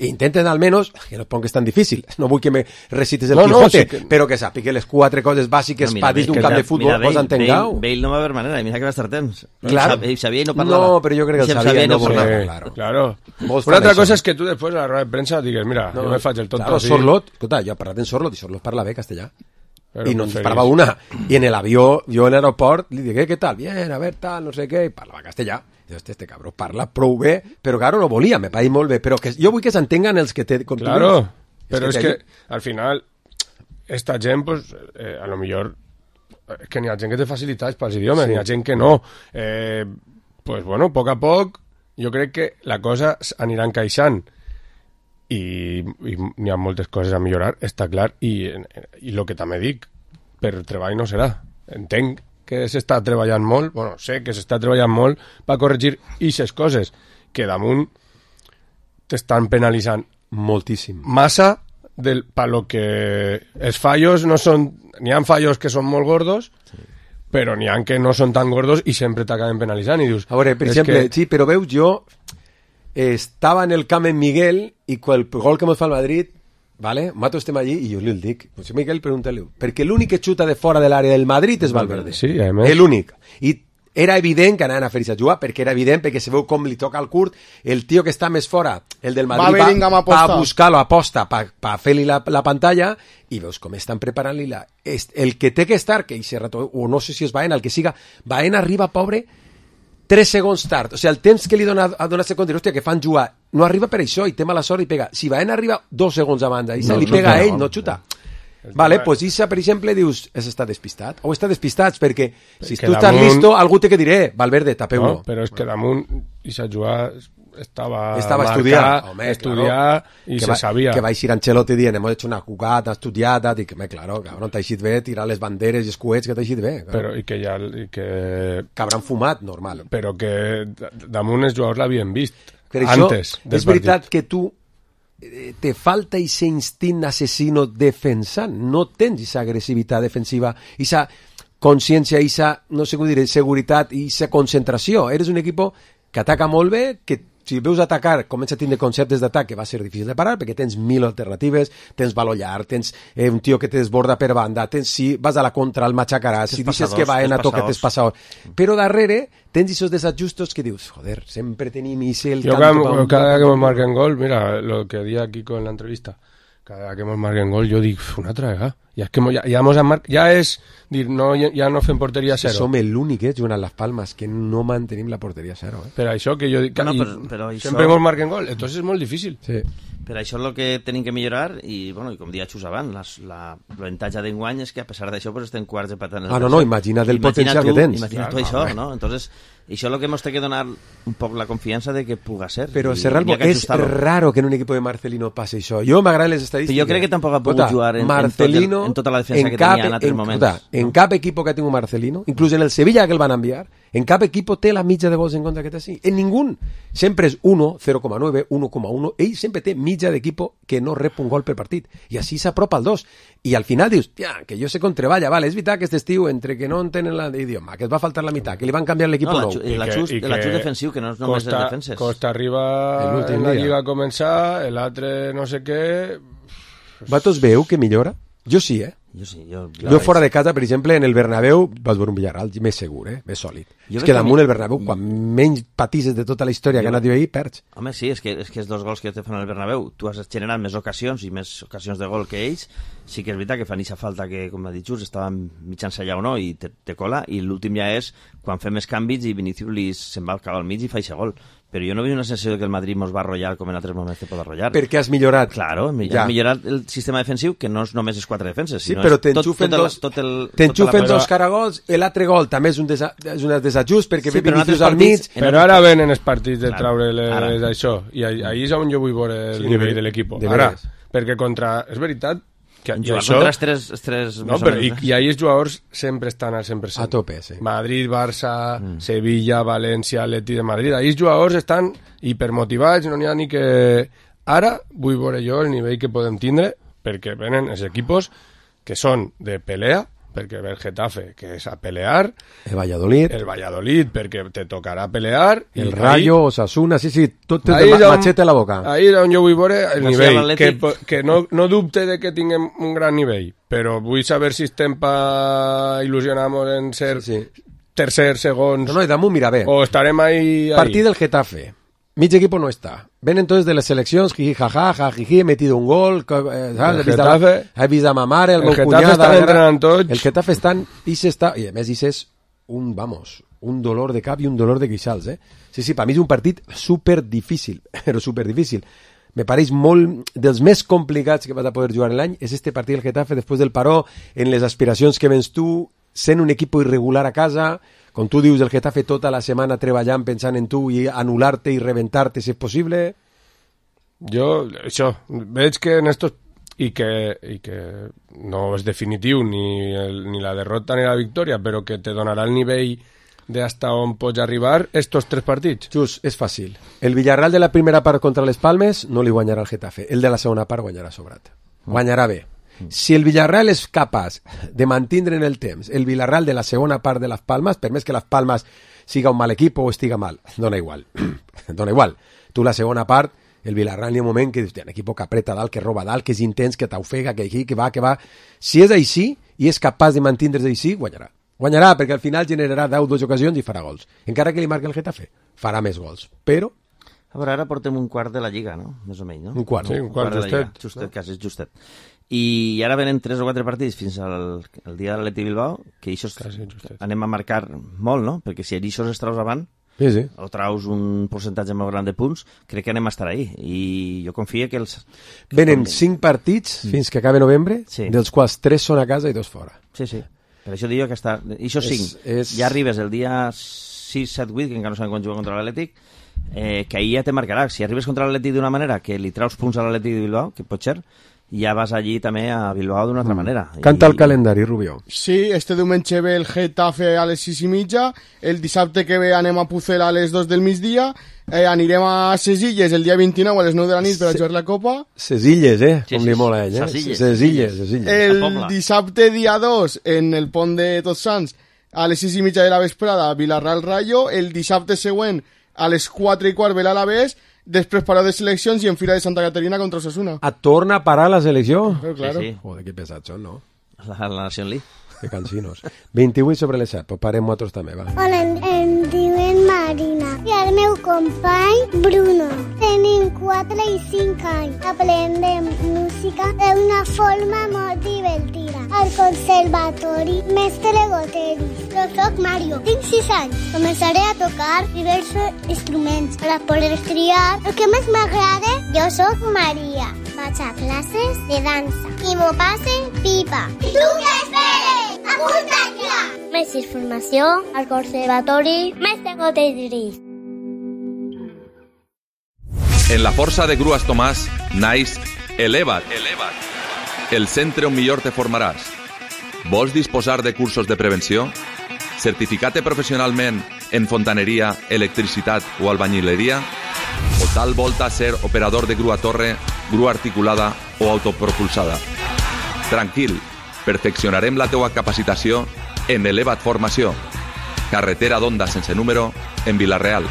intenten almenys, que no et ponguis tan difícil, no vull que me recites el No, no, Quijote, sí que- però que sàpiga les quatre coses bàsiques No, per dins d'un Bale, camp de mira, futbol, Bale, vos entengueu. Bale, Bale no va haver manera, mira que va estar temps. Claro. Ell sabia i no parlava. No, però jo crec que el Ell sabia i no parlava. volia. Sí, claro. claro. Molts Una fan altra això. cosa és que tu després a la roda de premsa digues, mira, No, jo me faig el tonto claro, así. Sorlot, escolta, jo he parlat en Sorlot i Sorlot parla bé castellà. Però I no ens preferís- parlava una. I en l'avió, jo en l'aeroport, li digué, què tal? Bien, a ver, tal, no sé què, i parlava castellà. I este, este cabró parla prou bé, però claro, no volia, me paï molt bé, però que jo vull que s'entenguen els que té... com tu Claro, dius. pero es que que al final esta gent, pues, eh, a lo millor es que n'hi ha gent que té facilitats pels idiomes, Sí. n'hi ha gent que no. Eh, pues bueno, a poc a poc jo crec que la cosa anirà encaixant i, i n'hi ha moltes coses a millorar, està clar, i, i el que també dic, per treball no serà. Entenc que s'està treballant molt, bueno, sé que s'està treballant molt per corregir aquestes coses que damunt t'estan penalitzant Moltíssim. massa del, pa lo que els fallos no són... N'hi ha fallos que són molt gordos, sí. però n'hi ha que no són tan gordos i sempre t'acaben penalitzant i dius... A veure, per és exemple, que... sí, però veus, jo estava en el camp en Miguel i quan el gol que mos fa el Madrid, vale, mato estem allí i jo li el dic, pues Miguel, pregúntale, perquè l'únic que xuta de fora de l'àrea del Madrid és Valverde. Sí, a més. L'únic. I era evident que anaven a fer-se a jugar, perquè era evident, perquè se veu com li toca al curt, el tio que està més fora, el del Madrid, Va Bellingham a va, va apostar. a buscar-lo, aposta per pa fer-li la, la pantalla, i veus com estan preparant-li la... est- El que té que estar, que ese rato, o no sé si és Baena, el que siga, Baena arriba, pobre, tres segons tard. O sigui, el temps que li dona a donar segon, hòstia, que fan jugar, no arriba per això, i té mala sort i pega. Si Baena arriba dos segons abans, i se No li xuta, pega a ell, no. no xuta. Vale, veritat. pues Issa, per exemple, dius, has estat despistat. O està despistats, perquè si Que tu estàs damunt- listo, algú té que diré, Valverde, tapeu-lo. No, però és que damunt Issa jugar estava, Estava marcat, estudiant, home, estudiar claro. i que se va, sabia. Que va eixir Ancelotti dient, hemos hecho una jugada estudiada, dic, home, claro, cabrón, t'ha eixit bé tirar les banderes i els coets que t'ha eixit bé. Claro. Però, i que ja i que, Que hauran fumat, normal. però que d- damunt els jugadors l'havien vist Per això, antes del és veritat partit. que tu eh, te falta ese instint assassino defensant, no tens esa agressivitat defensiva, esa consciència, esa, no sé com dir, seguretat i esa concentració. Eres un equip que ataca molt bé, que si veus atacar, comença a tindre conceptes d'atac que va ser difícil de parar, perquè tens mil alternatives, tens valor llarg, tens eh, un tio que te desborda per banda, tens, si vas a la contra el matxacaràs, si dices que va en a tens toque, passadors. tens passador. Però darrere tens esos desajustos que dius, joder, sempre tenim ese el Yo tanto cada, pa un- cada vez que me marquen gol, mira lo que di aquí con la entrevista, cada vez que me marquen gol yo digo, "Uf, una traga. Ya es que mo- ya, ya, hemos mar- ya es, dir, no, ya, ya no fem porteria Que cero. som l'únic, eh, jugant a les Palmes, que no mantenim la porteria zero, eh? Però això que jo dic, Bueno, i però- però això- sempre ens marquen gol, entonces és molt difícil. Sí. Per això és el que tenim que millorar i, bueno, i com dia Xus abans, les, la l'avantatge d'enguany és que a pesar d'això pues, estem quarts de patant. Ah, no, no, imagina't el potencial que tens. Imagina't tu Clar, això, home. no? Entonces, això és el que ens té que donar un poc la confiança de que puga ser. Però, I Serralbo, n'hi ha que és ajustar-lo. raro que en un equip de Marcelino passi això. Jo m'agraden les Però estadístiques. jo crec que tampoc ha pogut Escolta, jugar en, Marcelino, en, tot el, en tota la defensa en que cap, tenia en altres en, moments. escolta, en cap equip que ha tingut Marcelino, inclús en el Sevilla que el van enviar, en cap equip té la mitja de gols en contra que té així. En ningú. Sempre és uno, zero coma nueve, uno coma uno. Ell sempre té mitja d'equip que no rep un gol per partit. I així s'apropa al dos. I al final dius, tia, que jo sé com treballa. Vale, és veritat que aquest estiu, entre que no entenen l'idioma, que es va faltar la meitat, que li van canviar l'equip No, nou. l'aju- I l'ajust- l'ajust defensiu, que no és només costa, les defenses. Costa arriba L'últim en la dia. lliga a començar, l'altre no sé què... Vatos veu que millora? Jo sí, eh? Jo sí, jo... Jo fora de casa, per exemple, en el Bernabéu vaig veure un Villarreal més segur, eh? més sòlid. Jo És veig que que damunt mi- el Bernabéu, quan menys patisses de tota la història que ha anat ahir, perds. Home, sí, és que, és que els dos gols que te fan al Bernabéu, tu has generat més ocasions i més ocasions de gol que ells, sí que és veritat que fan aquesta falta que, com ha dit Just, estaven mitjans allà o no, i te, te cola, i l'últim ja és quan fem més canvis i Vinicius li se'n va al cap al mig i fa aquest gol. Però jo no veig una sensació que el Madrid mos va arrollar com en altres moments te pot arrollar. Perquè has millorat. Claro, ja. Ja. has millorat el sistema defensiu, que no és només els quatre defenses, Sí, sinó però és tot, t'enxufen tot, el- dos, tot el... t'enxufen tota la- dos caragols, l'altre gol també és un, desa, és un desajust perquè Sí, ve però en Vinicius altres al mig. partits- En Però altres ara venen els partits de Claro, traure ara. les, això, i ahí, ahí és on jo vull veure el Sí, nivell de- de l'equip. de Ara, veres. perquè contra... És veritat que i Jugar això... contra els tres, els tres No, més o però i, menys, eh? i ahir els jugadors sempre estan al cent per cent. A tope, sí. Madrid, Barça, mm. Sevilla, València, Atleti de Madrid. Ahir els jugadors estan hipermotivats, no n'hi ha ni que... Ara vull veure jo el nivell que podem tindre, perquè venen els equipos que són de pelea, perquè ve el Getafe, que és a pelear, el Valladolid, el Valladolid, perquè te tocarà pelear, el Rayo, ahí, Osasuna, sí, sí, tot té de ma machete a la boca. Ahí és on jo vull veure el no nivell, que, que no, no dubte de que tinguem un gran nivell, però vull saber si estem pa il·lusionar-nos en ser sí, sí. tercer, segons... No, no, i damunt, mira, bé. O estarem ahí... ahí. Partit del Getafe. Mi equipo no está. Ven entonces de las selecciones, jiji, jaja, jajiji, he metido un gol, eh, ¿sabes? El Getafe, he vist a ma mare, el, el meu Getafe cunyada... Estan entrenant tots. El Getafe estan... I s'està... I a més, és un, vamos, un dolor de cap i un dolor de queixals, eh? Sí, sí, per mi és un partit super difícil, però super difícil. Me pareix molt dels més complicats que vas a poder jugar en l'any, és este partit del Getafe després del paró, en les aspiracions que vens tu, sent un equip irregular a casa... Com tu dius, el Getafe tota la setmana treballant, pensant en tu i anul·lar-te i reventar-te si és possible. Jo, això, veig que en estos... I que, i que no és definitiu ni, el, ni la derrota ni la victòria, però que te donarà el nivell de hasta on pots arribar estos tres partits. Just, és fàcil. El Villarreal de la primera part contra les Palmes no li guanyarà el Getafe. El de la segona part guanyarà sobrat. Guanyarà bé. Si el Villarreal és capaç de mantindre en el temps el Villarreal de la segona part de les Palmes, per més que les Palmes siga un mal equip o estiga mal, dona igual. Dona igual. Tu la segona part, el Villarreal hi ha un moment que dius, un equip que apreta dalt, que roba dalt, que és intens, que t'ofega, que aquí, que va, que va. Si és així i és capaç de mantindre's així, guanyarà. Guanyarà, perquè al final generarà deu, dues ocasions i farà gols. Encara que li marqui el Getafe, farà més gols. Però... A veure, ara portem un quart de la Lliga, no? Més o menys, no? Un quart. Sí, un quart, un quart justet. Justet, no? Quasi, justet. I ara venen tres o quatre partits fins al el dia de l'Atleti Bilbao, que això anem a marcar molt, no? Perquè si això es traus avant, sí, sí. o traus un percentatge molt gran de punts, crec que anem a estar ahí. I jo confio que els... Que venen com... cinc partits mm. fins que acabe novembre, sí. dels quals tres són a casa i dos fora. Sí, sí. Per això dic que està... I això cinc. És... Ja arribes el dia sis, set, vuit, que encara no sabem quan juga contra l'Atlètic, eh, que ahir ja te marcarà. Si arribes contra l'Atlètic d'una manera que li traus punts a l'Atlètic de Bilbao, que pot ser, ja vas allí també a Bilbao d'una altra manera. Canta I... el calendari, Rubió. Sí, este diumenge ve el Getafe a les sis i mitja, el dissabte que ve anem a Pucel a les dos del migdia, eh, anirem a Ses Illes el dia vint-i-nou a les nou de la nit per a jugar la Copa. Ses Illes, eh? Sí, com sí, li mola a ell, eh? Ses Illes. Ses Illes, Ses Illes. El dissabte dia dos en el pont de Tots Sants a les sis i mitja de la vesprada Villarreal Rayo, el dissabte següent a les quatre i quart ve l'Alavés, després paró de seleccions i en fira de Santa Caterina contra Osasuna. A torna a parar la selecció? Però, claro. Sí, sí. Joder, que pesats són, no? La, la Nación League. Que cansinos. vint-i-vuit sobre les set, pues parem nosaltres també, va. Hola, em, em diuen Marina i el meu company Bruno. Tenim quatre i cinc anys. Aprendem música d'una forma molt divertida. Al conservatori Mestre Goteris. Jo soc Mario, tinc sis anys. Començaré a tocar diversos instruments per a poder triar el que més m'agrada. Jo soc Maria. Vaig a classes de dansa i m'ho passe pipa. I tu què esperes? Apunta't ja! Més informació al Conservatori Mestre Goteris. En la força de Grues Tomàs naix Eleva't, Eleva't, el centre on millor te formaràs. Vols disposar de cursos de prevenció? Certificat professionalment en fontaneria, electricitat o albañileria? O tal volta ser operador de grua torre, grua articulada o autopropulsada? Tranquil, perfeccionarem la teua capacitació en Eleva't Formació. Carretera d'Onda sense número en Vila-real.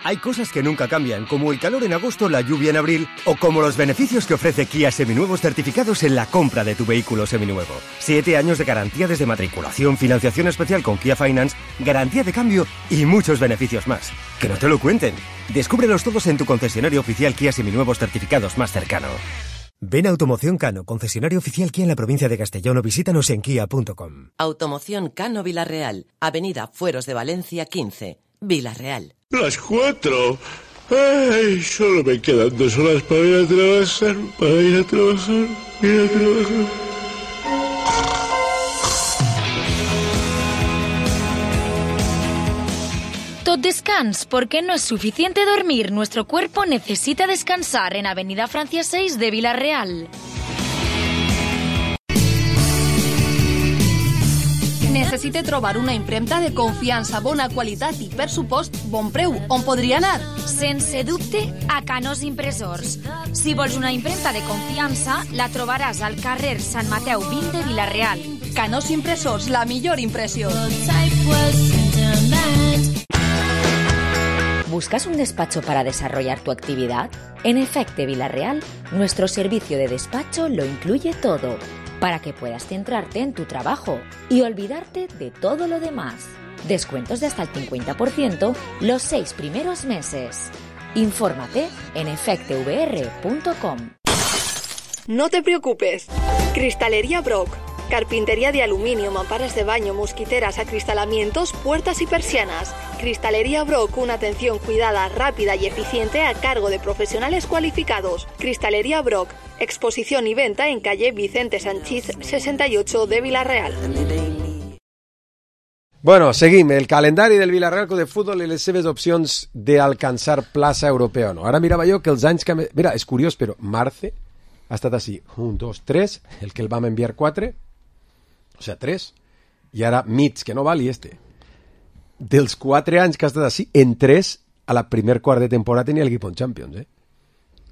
Hay cosas que nunca cambian, como el calor en agosto, la lluvia en abril, o como los beneficios que ofrece Kia Seminuevos certificados en la compra de tu vehículo seminuevo. Siete años de garantía desde matriculación, financiación especial con Kia Finance, garantía de cambio y muchos beneficios más. Que no te lo cuenten. Descúbrelos todos en tu concesionario oficial Kia Seminuevos certificados más cercano. Ven a Automoción Cano, concesionario oficial Kia en la provincia de Castellón, o visítanos en kia punto com. Automoción Cano Vila-real, Avenida Fueros de Valencia quince, Vila-real. Las cuatro. Ay, solo me quedan dos horas para ir a trabajar, para ir a trabajar, ir a trabajar. Tot descans, porque no es suficiente dormir. Nuestro cuerpo necesita descansar en Avenida Francia seis de Vila-real. necessite trobar una impremta de confiança, bona qualitat i, per supost, bon preu, on podria anar? Sense dubte, a Canós Impressors. Si vols una impremta de confiança, la trobaràs al carrer Sant Mateu vint de Vila-real. Canós Impressors, la millor impressió. ¿Buscas un despacho para desarrollar tu actividad? En Efecte Vila-real, nuestro servicio de despacho lo incluye todo, para que puedas centrarte en tu trabajo y olvidarte de todo lo demás. Descuentos de hasta el cincuenta por ciento los seis primeros meses. Infórmate en efecte v r punto com. No te preocupes. Cristalería Brock. Carpintería de aluminio, mamparas de baño, mosquiteras, acristalamientos, puertas y persianas. Cristalería Brock, una atención cuidada, rápida y eficiente a cargo de profesionales cualificados. Cristalería Brock, exposición y venta en calle Vicente Sanchís sesenta y ocho de Vila-real. Bueno, seguim. El calendari del Villarreal Club de Futbol i les seves opcions d'alcançar plaça europea o no. Ara mirava jo que els anys que... Mira, és curiós, però Marce ha estat així. Un, dos, tres, el que el vam enviar quatre, o sea, tres, i ara Mitch, que no val, i este. Dels quatre anys que ha estat així, en tres, a la primer quart de temporada tenia l'equip en Champions, eh?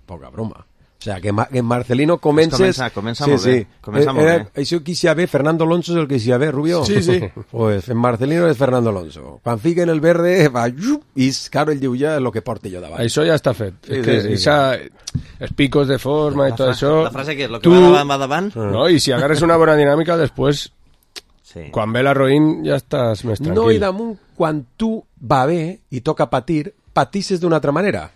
Poca broma. O sea, que, Ma que Marcelino comences... Comença, comença sí, molt bé. Sí. Comença eh, molt eh, bé. Això qui s'hi ha bé, Fernando Alonso és el que s'hi ha bé, Rubio. Sí, sí. Pues en Marcelino és Fernando Alonso. Quan fiquen el verde, va, i claro, ell diu ja el que porta jo davant. Això ja està fet. Sí, és que sí, sí, esa, els picos de forma La i tot fra- això... la frase que és, lo que tu- va davant, va davant. No, i si agarres una bona dinàmica, després, sí. quan ve la Roïn, ja estàs més tranquil. No, i damunt, quan tu va bé i toca patir, patisses d'una altra manera.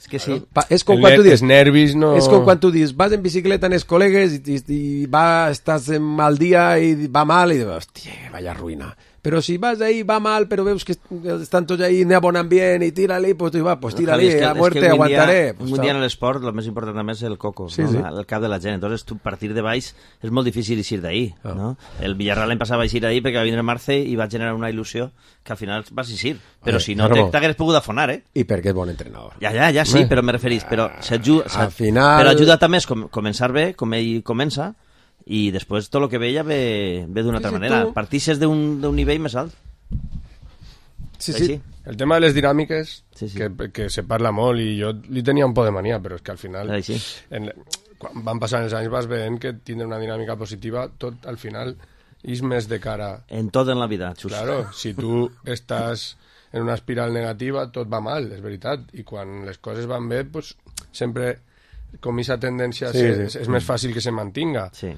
És que sí. Pa és com El quan tu net- dius... els nervis no... És com quan tu dius, vas en bicicleta en els col·legues i, i, i va, estàs en mal dia i va mal i dius, hòstia, vaya ruïna. Però si vas ahí, va mal, però veus que estan tots ahí, n'hi ha bon ambient i tira-li, pues tu va, pues tira-li, a muerte, aguantaré. Un dia en l'esport, el més important també és el coco, Sí, no? sí. el cap de la gent. Entonces, tu partir de baix és molt difícil eixir d'ahí. Ah. No? El Villarreal l'any passat va eixir d'ahí perquè va vindre Marce i va generar una il·lusió que al final vas eixir. Però Eh, si no, claro. t'hagués pogut afonar, eh? I perquè és bon entrenador. Ja, ja, ja sí, Eh. però me referís. Però, s'ajuda, Al final- però ajuda també és com, començar bé, com ell comença, i després tot el que ve ja ve, ve d'una altra Sí, sí, manera. tu- Partisses d'un d'un nivell més alt. Sí, Així. sí. El tema de les dinàmiques, Sí, sí. Que, que se parla molt, i jo li tenia un por de mania, però és que al final, Així. en, quan van passant els anys vas veient que tindre una dinàmica positiva, tot al final és més de cara... En tot en la vida, Xus. Claro, si tu estàs en una espiral negativa, tot va mal, és veritat, i quan les coses van bé, pues, sempre com aquesta tendència Sí, sí, sí. és, és més fàcil que se mantinga. Sí.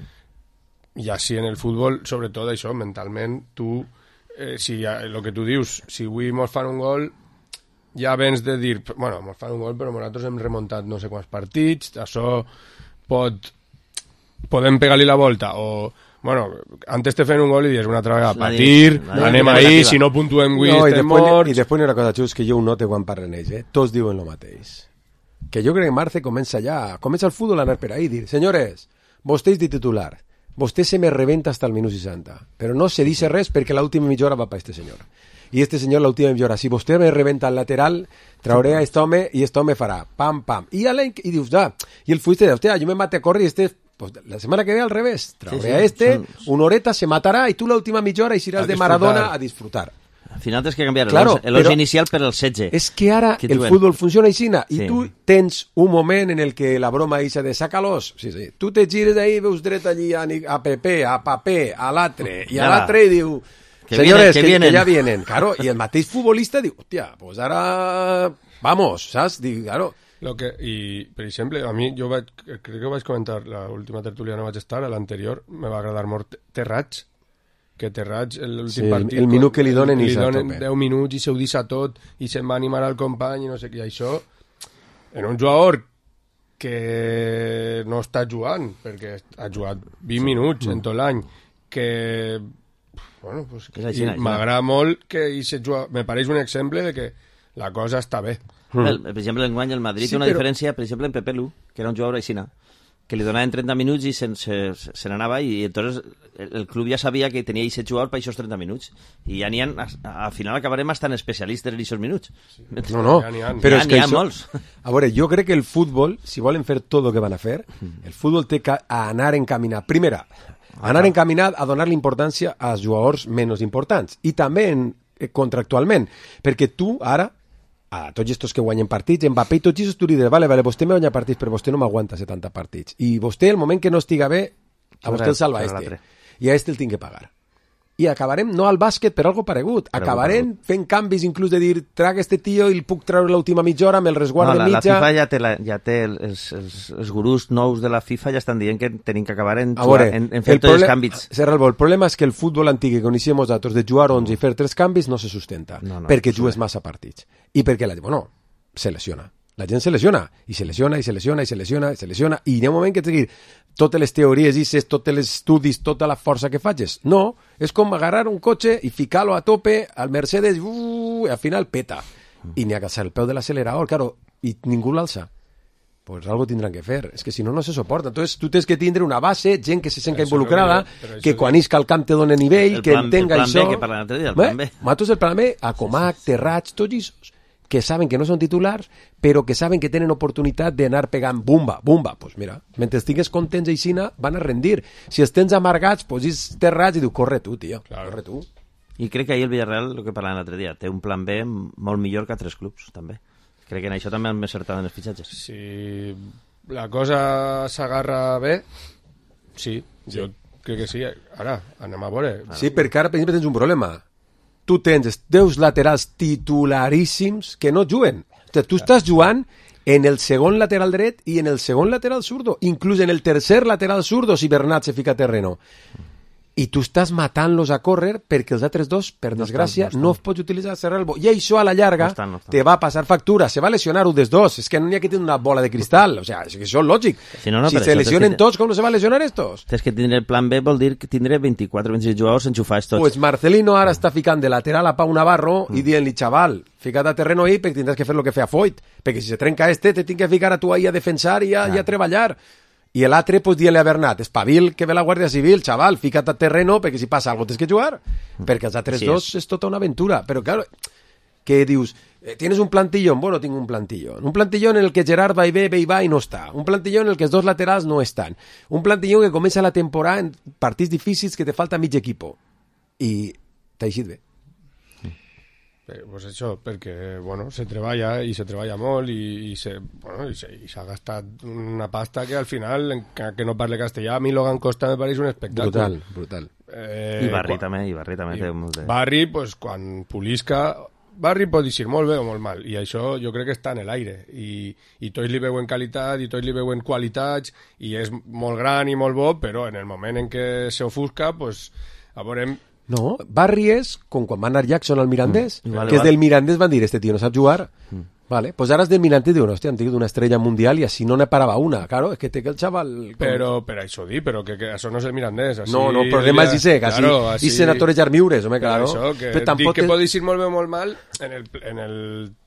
I així en el futbol, sobretot això, mentalment, tu, eh, si el que tu dius, si avui mos fan un gol, ja vens de dir, bueno, mos fan un gol, però nosaltres hem remuntat no sé quants partits, això pot... podem pegar-li la volta, o... Bueno, antes te feien un gol i dius una altra vegada, La patir, di- la anem dinàmica ahí, negativa. si no puntuem avui, No, i estem després, morts... I després hi ha una cosa, Xus, que jo ho note quan parlen ells, eh? Tots diuen el mateix. Que jo crec que Marce comença ja, comença el futbol a anar per ahí, dir, senyores, vostè és de titular, vostè se me reventa hasta el minut seixanta, però no se dice res perquè l'última mitja hora va per este senyor. I este senyor l'última mitja hora, si vostè me reventa al lateral, trauré a este home i este home farà, pam, pam. I, a i dius, ah, i el fuiste, hòstia, jo me mate a córrer i este... Pues la semana que ve al revés, trauré Sí, sí, a este, son- una horeta se matarà i tu l'última mitja hora iràs A de disfrutar. Maradona a disfrutar. Al final tens que canviar Claro, el onze però- inicial per el setze. És que ara Que el duen. futbol funciona així, i Sí. tu tens un moment en el que la broma ixa de sácalos, sí, sí. Tu te gires ahí, veus dret allí a, Ni- a Pepe, a Papé, a l'altre, i a Ja. l'altre i diu, Que senyores, vienen, que que, vienen. que ja vienen. Claro, i el mateix futbolista diu, hòstia, pues ara vamos, saps? Dic, claro, Lo que, i, per exemple, a mi, jo vaig, crec que ho vaig comentar, l'última tertúlia no vaig estar, a l'anterior me va agradar molt Terrats, que Terrats, l'últim Sí, el- partit... el minut que li donen i li s'ha donen tope. deu minuts i se ho deixa tot, i se'n va animar al company, i no sé què, i això, en un jugador que no està jugant, perquè ha jugat vint minuts en tot l'any, que... Bueno, pues, És així, i així. m'agrada molt que i se juga, me pareix un exemple de que la cosa està bé. El, per exemple, enguany el Madrid Sí, té una però- diferència, per exemple, en Pepe Lu, que era un jugador aixina, que li donaven trenta minuts i se, se, se n'anava i entonces el, el club ja sabia que tenia aquest jugador per aquests trenta minuts. I ja n'hi ha, al final acabarem estant especialistes en aquests minuts. No, no, ja n'hi ha, però ja és que n'hi ha això... molts. A veure, jo crec que el futbol, si volen fer tot el que van a fer, el futbol té que anar encaminat. Primera, anar encaminat a donar l'importància als jugadors menys importants. I també en, contractualment. Perquè tu, ara, a tots estos que guanyen partits, Mbappé i tots aquests, tu li dius, vale, vale, vostè me guanya partits, però vostè no m'aguanta setanta partits. I vostè, el moment que no estiga bé, a vostè el salva este. I a este el tinc que pagar. I acabarem, no al bàsquet, per algo paregut. Acabarem fent canvis, inclús de dir, traga este tio i el puc treure l'última mitja hora, me'l resguarda no, la, mitja... La FIFA ja té, la, ja té els, els, els gurús nous de la FIFA ja estan dient que tenim que acabar en, veure, en, en fer tots els canvis. Serralbo, el problema és que el futbol antic que coneixem nosaltres de jugar onze i fer tres canvis no se sustenta, no, no, perquè no jugues massa partits. I perquè la gent, bueno, se lesiona. La gent se lesiona, i se lesiona, i se lesiona, i se lesiona, i se lesiona, i hi ha un moment que t'he totes les teories, dices, tots els estudis, tota la força que facis. No, és com agarrar un cotxe i ficar-lo a tope al Mercedes, uh, i al final peta. I n'hi ha que alçar el peu de l'accelerador, claro, i ningú l'alça. Pues algo tindran que fer, és que si no, no se soporta. Entonces, tu tens que tindre una base, gent que se sent involucrada, no, que quan isca al camp te dona nivell, que entenga això... El plan B, que parla l'altre dia, el plan B. Matos el plan B, a Comac, Terrats, tots aquests que saben que no són titulars, però que saben que tenen oportunitat d'anar pegant bumba, bumba. Pues mira, mentre estigues contents aixina, van a rendir. Si els tens amargats, pues és Terrats i diu, corre tu, tio, claro. corre tu. I crec que ahir el Villarreal, el que parlàvem l'altre dia, té un plan B molt millor que altres clubs, també. Crec que en això també hem acertat en els fitxatges. Si la cosa s'agarra bé, sí, sí, jo crec que sí. Ara, anem a veure. Sí, perquè ara, per exemple, tens un problema. Tu tens deus laterals titularíssims que no juguen. O sigui, tu estàs jugant en el segon lateral dret i en el segon lateral zurdo, inclús en el tercer lateral zurdo si Bernat se fica a terreno. I tu estàs matant-los a córrer perquè els altres dos, per desgràcia, no, estan, no, estan. no els pots utilitzar a Serralbo. I això a la llarga no estan, no estan. te va passar factura. Se va lesionar un dels dos. És que no n'hi ha que tenir una bola de cristal. O sea, és que això és lògic. Si, no, no, si se lesionen que... tots, com no se va lesionar estos? Tens que tindre el plan B, vol dir que tindre vint-i-quatre o vint-i-sis jugadors enxufats tots. Pues Marcelino ara està ficant de lateral a Pau Navarro mm. i dient-li, xaval, fica't a terreno ahí perquè tindràs que fer el que feia Foyt. Perquè si se trenca este, te tinc que ficar a tu ahí a defensar i a, ah. i a treballar. I l'altre, pues, dient-li a Bernat, espavil que ve la Guàrdia Civil, xaval, fica't a terreno, perquè si passa alguna cosa tens que jugar. Perquè els altres sí, dos és. és tota una aventura. Però, claro, que dius, ¿tienes un plantillón? Bueno, tengo un plantillón. Un plantillón en el que Gerard va y ve, ve y va y no está. Un plantillón en el que els dos laterals no estan. Un plantillón que comença la temporada en partits difícils que te falta mig equipo. I t'ha eixit bé. Eh, pues això, perquè bueno, se treballa i se treballa molt i, i se, bueno, i se, i s'ha gastat una pasta que al final, que, que no parle castellà, a mi Logan Costa me pareix un espectacle. Brutal, brutal. Eh, I Barri quan, també, i Barri també i té molt de... Barri, pues, quan pulisca... Barri pot dir molt bé o molt mal, i això jo crec que està en l'aire, i, i tots li veuen qualitat, i tots li veuen qualitats, i és molt gran i molt bo, però en el moment en què s'ofusca, pues, a veurem... No, Barri és com quan va anar Jackson al Mirandés, mm, vale, que és vale. del Mirandés, van dir, este tio no sap jugar, mm. vale, pues ara és del Mirandés, diuen, hòstia, han tingut una estrella mundial i així no ne parava una, claro, és que té que el xaval... Però, per això dir, però que, que això no és el Mirandés, així... No, no, el problema és ese, que així, claro, així... i senadores Jarmiures, home, claro. Això, que però tampoc dic que pot dir molt bé o molt mal, en el, en el,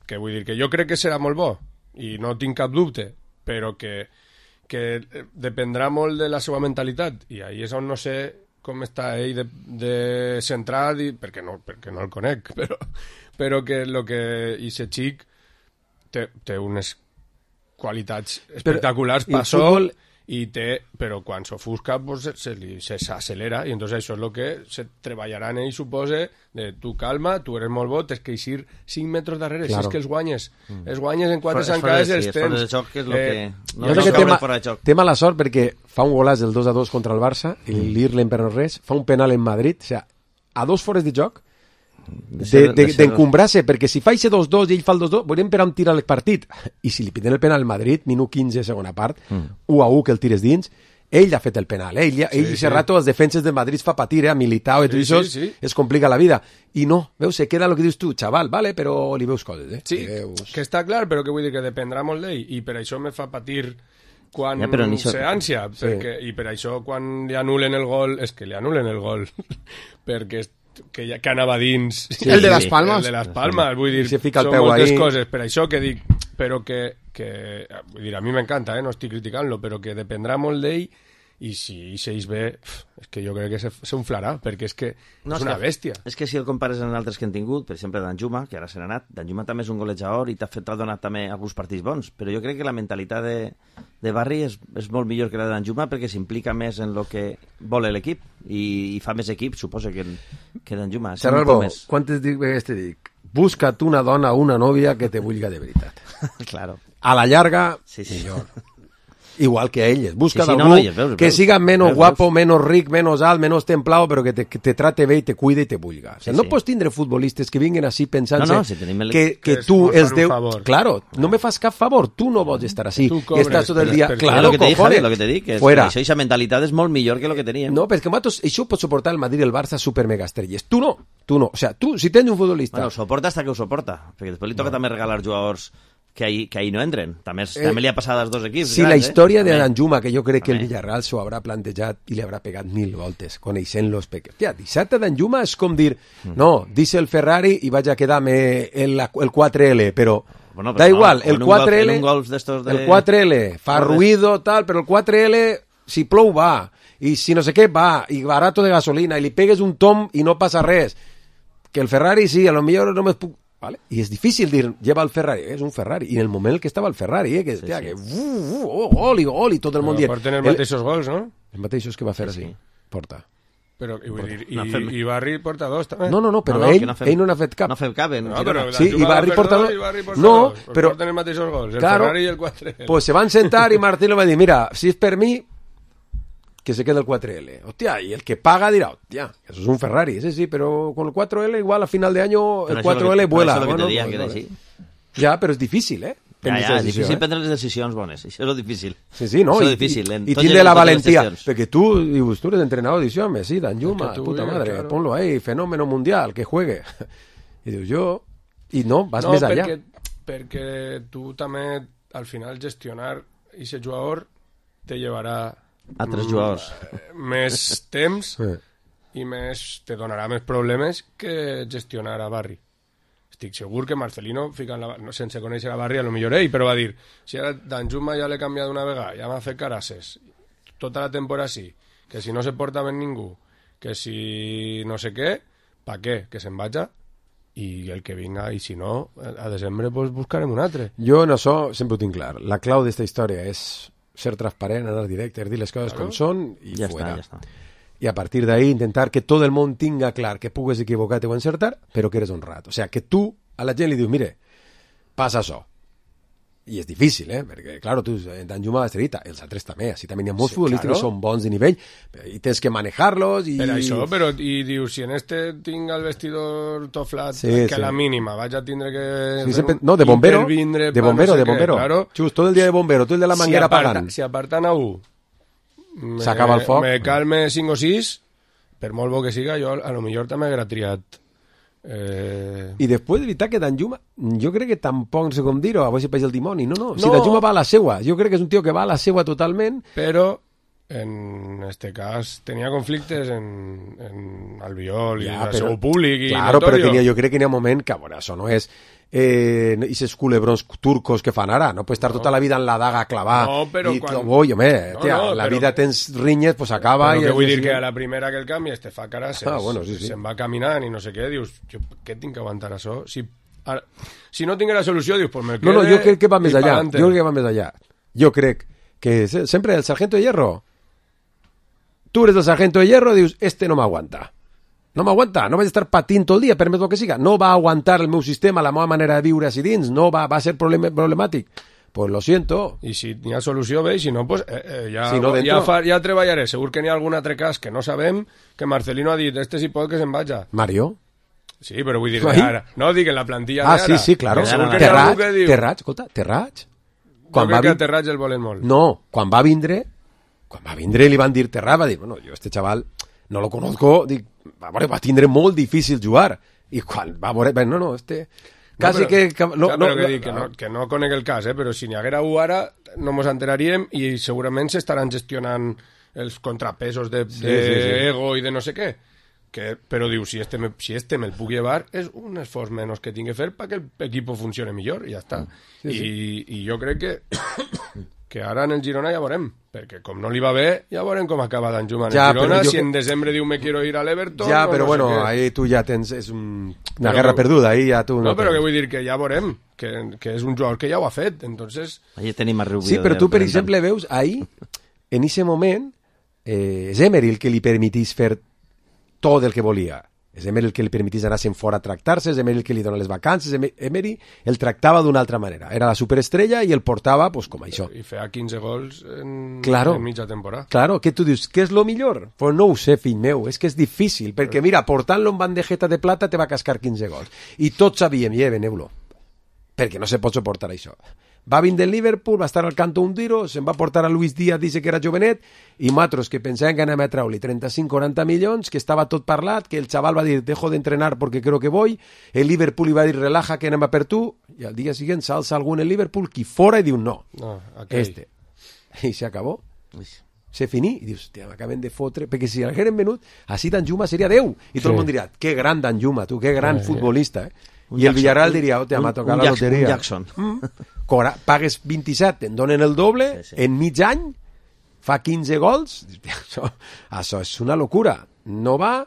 que vull dir, que jo crec que serà molt bo, i no tinc cap dubte, però que, que dependrà molt de la seva mentalitat, i ahí és on no sé... com està ell de, de centrat, i, perquè, no, perquè no el conec, però, però que el que aquest xic té, té unes qualitats espectaculars per sol, i té, però quan s'ofusca pues, se, se s'accelera, i entonces això és el que se treballarà en ell, supose, de tu calma, tu eres molt bo, tens que eixir cinc metres darrere, claro. Si és que els guanyes, mm. els guanyes en quatre zancades i els tens. És xoc, que és el que... Eh, no jo crec que té, ma, té mala sort perquè fa un golaç del dos a dos contra el Barça, i mm. l'Irlen per no res, fa un penal en Madrid, o sigui, a dos fores de joc, d'encumbrar-se, de, de, perquè si fa ese dos dos i ell fa el dos dos, veurem per on tira el partit, i si li piden el penal al Madrid, minut quinze, segona part, mm. u a u que el tires dins, ell ha fet el penal, eh? ell, sí, ell sí. ese rato els defenses del Madrid fa patir, eh? a Militao i sí, tot això, sí, sí. es complica la vida, i no, veus, se queda el que dius tu, xaval, vale, però li veus coses, eh? Sí, veus... que està clar, però que vull dir que dependrà molt d'ell, i per això me fa patir quan ja, se ànsia, sí. perquè, i per això quan li anulen el gol, és que li anulen el gol, perquè que, ja, que anava dins. Sí, el de les Palmes. El de les Palmes, vull dir, si fica el són peu moltes ahí. Coses, per això que dic, però que, que vull dir, a mi m'encanta, eh, no estic criticant-lo, però que dependrà molt d'ell i si s'eix bé, és que jo crec que s'unflarà, perquè és que no, és una que, bèstia. És que si el compares amb altres que han tingut, per exemple Danjuma, que ara se n'ha anat, Danjuma també és un golejador i t'ha fet t'ha donat també alguns partits bons, però jo crec que la mentalitat de, de Barry és, és molt millor que la de Danjuma perquè s'implica més en el que vol l'equip i, i fa més equip, suposo, que, que Danjuma. Serralbo, quantes vegades te dic? Busca't una dona o una nòvia que te vulga de veritat. Claro. A la llarga, sí, sí. millor. Igual que elles, busca sí, sí, algú no, no, veus, que veus, siga menos veus, guapo, veus. menos ric, menos alt, menos templado, però que te, que te trate bé i te cuide i te vulga. O sea, sí, no sí. Pots tindre futbolistes que vinguin així pensant no, no, si el... que, que, que tu els deu... Claro, no me fas cap favor, tu no vols estar així. I estàs tot el dia... Per, claro, lo que te dic, cojones, lo que te dic, que fuera. Això, aquesta mentalitat és molt millor que lo que teníem. No, perquè nosaltres, això ho pot suportar el Madrid i el Barça super mega estrelles. Tu no, tu no. O sea, tu, si tens un futbolista... Bueno, soporta hasta que ho soporta, perquè després li toca no. també regalar jugadors que ahí, que ahí no entren. També, eh, també li ha passat als dos equips. Sí, grans, la història eh? de Danjuma, que jo crec que el Villarreal s'ho haurà plantejat i li haurà pegat mil voltes, coneixent-los. Ja, deixar-te Danjuma és com dir, no, dice el Ferrari i vaig a quedar-me el, el quatre ele, però bueno, da igual, no, el quatre ele, golf, golf de... el quatre ele fa ruido, tal, però el quatre ele, si plou, va, i si no sé què, va, i barato de gasolina, i li pegues un tom i no passa res. Que el Ferrari, sí, a lo millor no me puc... ¿Vale? Y es difícil dir, lleva el Ferrari, es un Ferrari, y en el moment que estava el Ferrari, eh, que, sí, tía, sí. que uh, uh, oh, gol i gol i tot el món dient... Porten els mateixos gols, no? Els mateixos que va fer sí, així, sí. porta. Però, i, vull dir, i, fem... i Barry porta dos, també. No, no, no, però no, no, ell, no fem... ell no n'ha fet cap. No fem cap, eh? No, però sí, i Barry porta dos. Barry porta no, dos. però... Porten els mateixos gols, el claro, Ferrari i el quatre ele. Pues se van sentar i Martín le va dir, mira, si és per mi, que se quede el quatre ele. Hostia, y el que paga dirá, hostia, eso es un Ferrari, ese sí, pero con el cuatro ele igual a final de año pero el cuatro ele que, vuela. Eso bueno, que pues, que vale. sí. Ja, però és difícil, eh? Ja, ja, és difícil eh? prendre les decisions bones, això és lo difícil. Sí, sí, no? Això I, és difícil. I, i tindre la valentia, perquè tu, dius, tu eres entrenador, dius, home, sí, Danjuma, puta bien, madre, claro. Ponlo ahí, fenómeno mundial, que juegue. I dius, jo... I no, vas no, més allà. Perquè, perquè tu també, al final, gestionar aquest jugador te llevarà... Altres jugadors. Més temps sí. i més, te donarà més problemes que gestionar a Barry. Estic segur que Marcelino, ficant la, no, sense conèixer a Barry, a lo millor ell, però va dir, si ara Danjuma ja l'he canviat una vegada, ja m'ha fet carasses, tota la temporada sí, que si no se porta ben ningú, que si no sé què, pa què? Que se'n vaja i el que vinga, i si no, a desembre pues, buscarem un altre. Jo en això sempre ho tinc clar. La clau d'esta història és ser transparent, anar directe, dir les coses claro. com són i ja fuera. Està, ja està. Y a partir de ahí intentar que todo el mundo tenga clar que pugues equivocarte o encertar, pero que eres honrado. O sea, que tú a la gent li dius, mire, passa això. I és difícil, eh? Perquè, claro, tu, Danjuma va estrellita, els altres també, així també hi ha molts sí, futbolistes claro. que són bons de nivell, i tens que manejar-los i... Per això, però, i dius, si en este tinc el vestidor tot flat, sí, que sí. a la mínima vaig a tindre que... Sí, sempre, no, de bombero, de bombero, no sé de bombero. Què, claro. Xus, tot el dia de bombero, tu el de la manguera si aparta, pagant. Si apartan a un, s'acaba el foc. Me calme cinc o sis, per molt bo que siga, jo a lo millor també haguera triat... Eh... I després de veritat que Danjuma jo crec que tampoc no sé com dir-ho, a veure si peix el dimoni, no, no, no, si Danjuma va a la seua, jo crec que és un tio que va a la seua totalment, però en este cas tenia conflictes en, en Albiol ja, i el seu públic i claro, notorio. Però tenia, jo crec que n'hi ha un moment que, bueno, això no és eh, aquests culebrons turcos que fan ara, no puedes estar no. tota la vida en la daga clavada no, però i quan... oh, home, no, tia, no, la però... vida tens rinyes, pues acaba però i... que vull dir que a la primera que el canvi este fa carasses, ah, bueno, sí, sí. se'n va caminant i no sé què, dius, jo, què tinc que aguantar això? Si, ara, si no tinc la solució, dius, pues me quede... No, no, jo crec que va més allà, palante. jo crec que va més allà. Jo crec que sempre el sargento de hierro, tu eres el sargento de hierro, dius, este no m'aguanta. No m'aguanta, no vaig estar patint tot el dia, per més el que siga. No va aguantar el meu sistema, la meva manera de viure així dins, no va, va ser problem problemàtic. Pues lo siento. I si n'hi ha solució, bé, i si no, pues, eh, eh, ja, si no ja, fa, ja treballaré. Segur que n'hi ha algun altre cas que no sabem, que Marcelino ha dit, este sí pot que se'n vaja. Mario? Sí, però vull dir ara. No, dic en la plantilla ah, d'ara. Ah, sí, sí, claro. Terrat, Terrat, escolta, Terrat. Quan jo crec que a Terrat el volen molt. No, quan va vindre, quan va vindre li van dir Terrat, va dir, bueno, jo este chaval no lo conozco, dic, va, va tindre molt difícil jugar. I quan va veure, no, no, este... Quasi no, però, que... que no, clar, no, però que, dic, que, no, que no conec el cas, eh? Però si n'hi haguera u ara no mos enteraríem i segurament s'estaran gestionant els contrapesos de, sí, de sí, sí. ego i de no sé què. que, però diu, si este, me, si este me'l puc llevar, és un esforç menys que tinc que fer perquè l'equip funcione millor, i ja està. Sí, I, sí. I jo crec que que ara en el Girona ja veurem, perquè com no li va bé, ja veurem com acaba Danjuma en ja, el Girona, si que... en desembre diu me quiero ir a l'Everton... Ja, però no bueno, sé ahí tu ja tens... És un... una però, guerra perduda, ahí ja tu... No, no però tens. que vull dir que ja veurem, que, que és un jugador que ja ho ha fet, entonces... Ahí tenim a Rubio. Sí, però tu, per exemple, veus, ahí, en ese moment, eh, és Emery el que li permetís fer tot el que volia. És Emery el que li permetís anar-se'n fora a tractar-se, és Emery el que li dona les vacances, Emery el tractava d'una altra manera. Era la superestrella i el portava pues, com això. I feia quinze gols en, claro, en mitja temporada. Claro, que tu dius, què és lo millor? Pues no ho sé, fill meu, és que és difícil, perquè mira, portant-lo en bandejeta de plata te va cascar quinze gols. I tots sabíem, ja, veneu-lo, perquè no se pot suportar això. Va vindre el Liverpool, va estar al canto un tiro, se'n va portar a Luis Díaz, dice que era jovenet, i matros que pensaven que anàvem a treure-li trenta-cinc quaranta milions, que estava tot parlat, que el xaval va dir, dejo de entrenar porque creo que voy, el Liverpool li va dir, relaja que anem a per tu, i al dia següent s'alça algú en el Liverpool, qui fora, i diu, no, no okay. este. I se acabó. Se finí, i dius, hòstia, m'acaben de fotre, perquè si l'hagueren venut, així Danjuma seria Déu, i tot sí. el món diria, que gran Danjuma, tu, que gran eh, futbolista, eh? Un I el Villarreal diria, oh, m'ha tocat la loteria. Un Jackson. Mm. Cora, pagues vint-i-set, te'n donen el doble, sí, sí. en mig any, fa quinze gols, això, això és una locura. No va,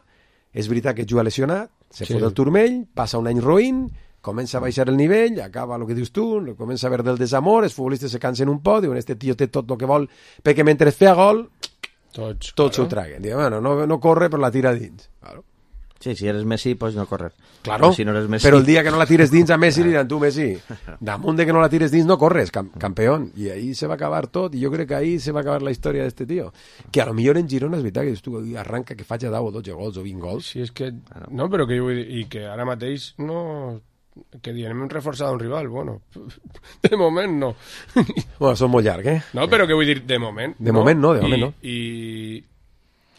és veritat que juga lesionat, se sí. fot el turmell, passa un any roïn, comença a baixar el nivell, acaba el que dius tu, comença a haver del desamor, els futbolistes se cansen un poc, diuen, este tio té tot el que vol, perquè mentre feia gol, tots, tots s'ho traguen. Diuen, bueno, no, no corre, però la tira dins. Claro. Sí, si eres Messi, pues no correr. Claro, si no eres Messi... però el dia que no la tires dins a Messi li diran, tu Messi, damunt de que no la tires dins no corres, cam campeón. I ahí se va acabar tot, i jo crec que ahí se va acabar la història d'este tio. Que a lo millor en Girona és veritat que tu arranca que faig a deu o dotze gols o vint gols. Sí, és que... No, però que jo vull dir, i que ara mateix no... Que diem, hem reforçat un rival, bueno, de moment no. Bueno, són molt llarg, eh? No, però que vull dir, de moment De no. moment no, de moment I, no. I...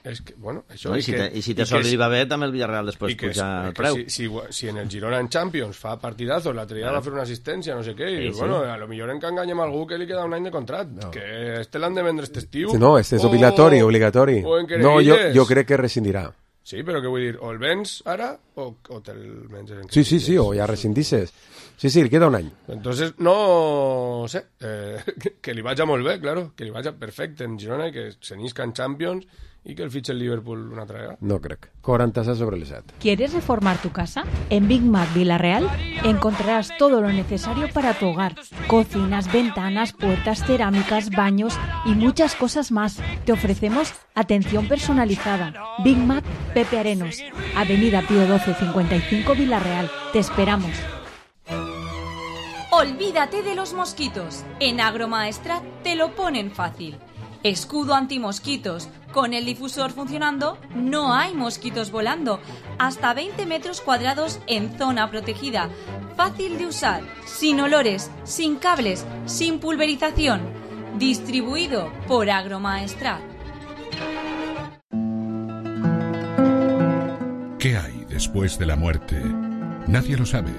És que, bueno, això... No, i, si te, I si te sol li va bé, també el Villarreal després puja el preu. Si, si, si en el Girona en Champions fa partidazos, l'altre dia va fer una assistència, no sé què, i sí, bueno, sí. a lo millor en que enganyem algú que li queda un any de contract, no. que este l'han de vendre este estiu. No, este és obligatori, obligatori. No, jo, jo crec que rescindirà. Sí, però què vull dir, o el vens ara o, o te'l menges en Sí, sí, sí, o ja rescindisses. Sí, sí, li queda un any. Entonces, no sé, eh, que, que li vagi molt bé, claro, que li vagi perfecte en Girona i que se n'isca en Champions y que el fiche el Liverpool una traga. No crec. quaranta-set sobre el set. ¿Quieres reformar tu casa? En Big Mac Villarreal encontrarás todo lo necesario para tu hogar. Cocinas, ventanas, puertas, cerámicas, baños y muchas cosas más. Te ofrecemos atención personalizada. Big Mac Pepe Arenos, Avenida Pío doce cincuenta y cinco Villarreal. Te esperamos. Olvídate de los mosquitos. En Agromaestrat te lo ponen fácil. Escudo antimosquitos. Con el difusor funcionando, no hay mosquitos volando. Hasta veinte metros cuadrados en zona protegida. Fácil de usar, sin olores, sin cables, sin pulverización. Distribuido por Agromaestrat. ¿Qué hay después de la muerte? Nadie lo sabe.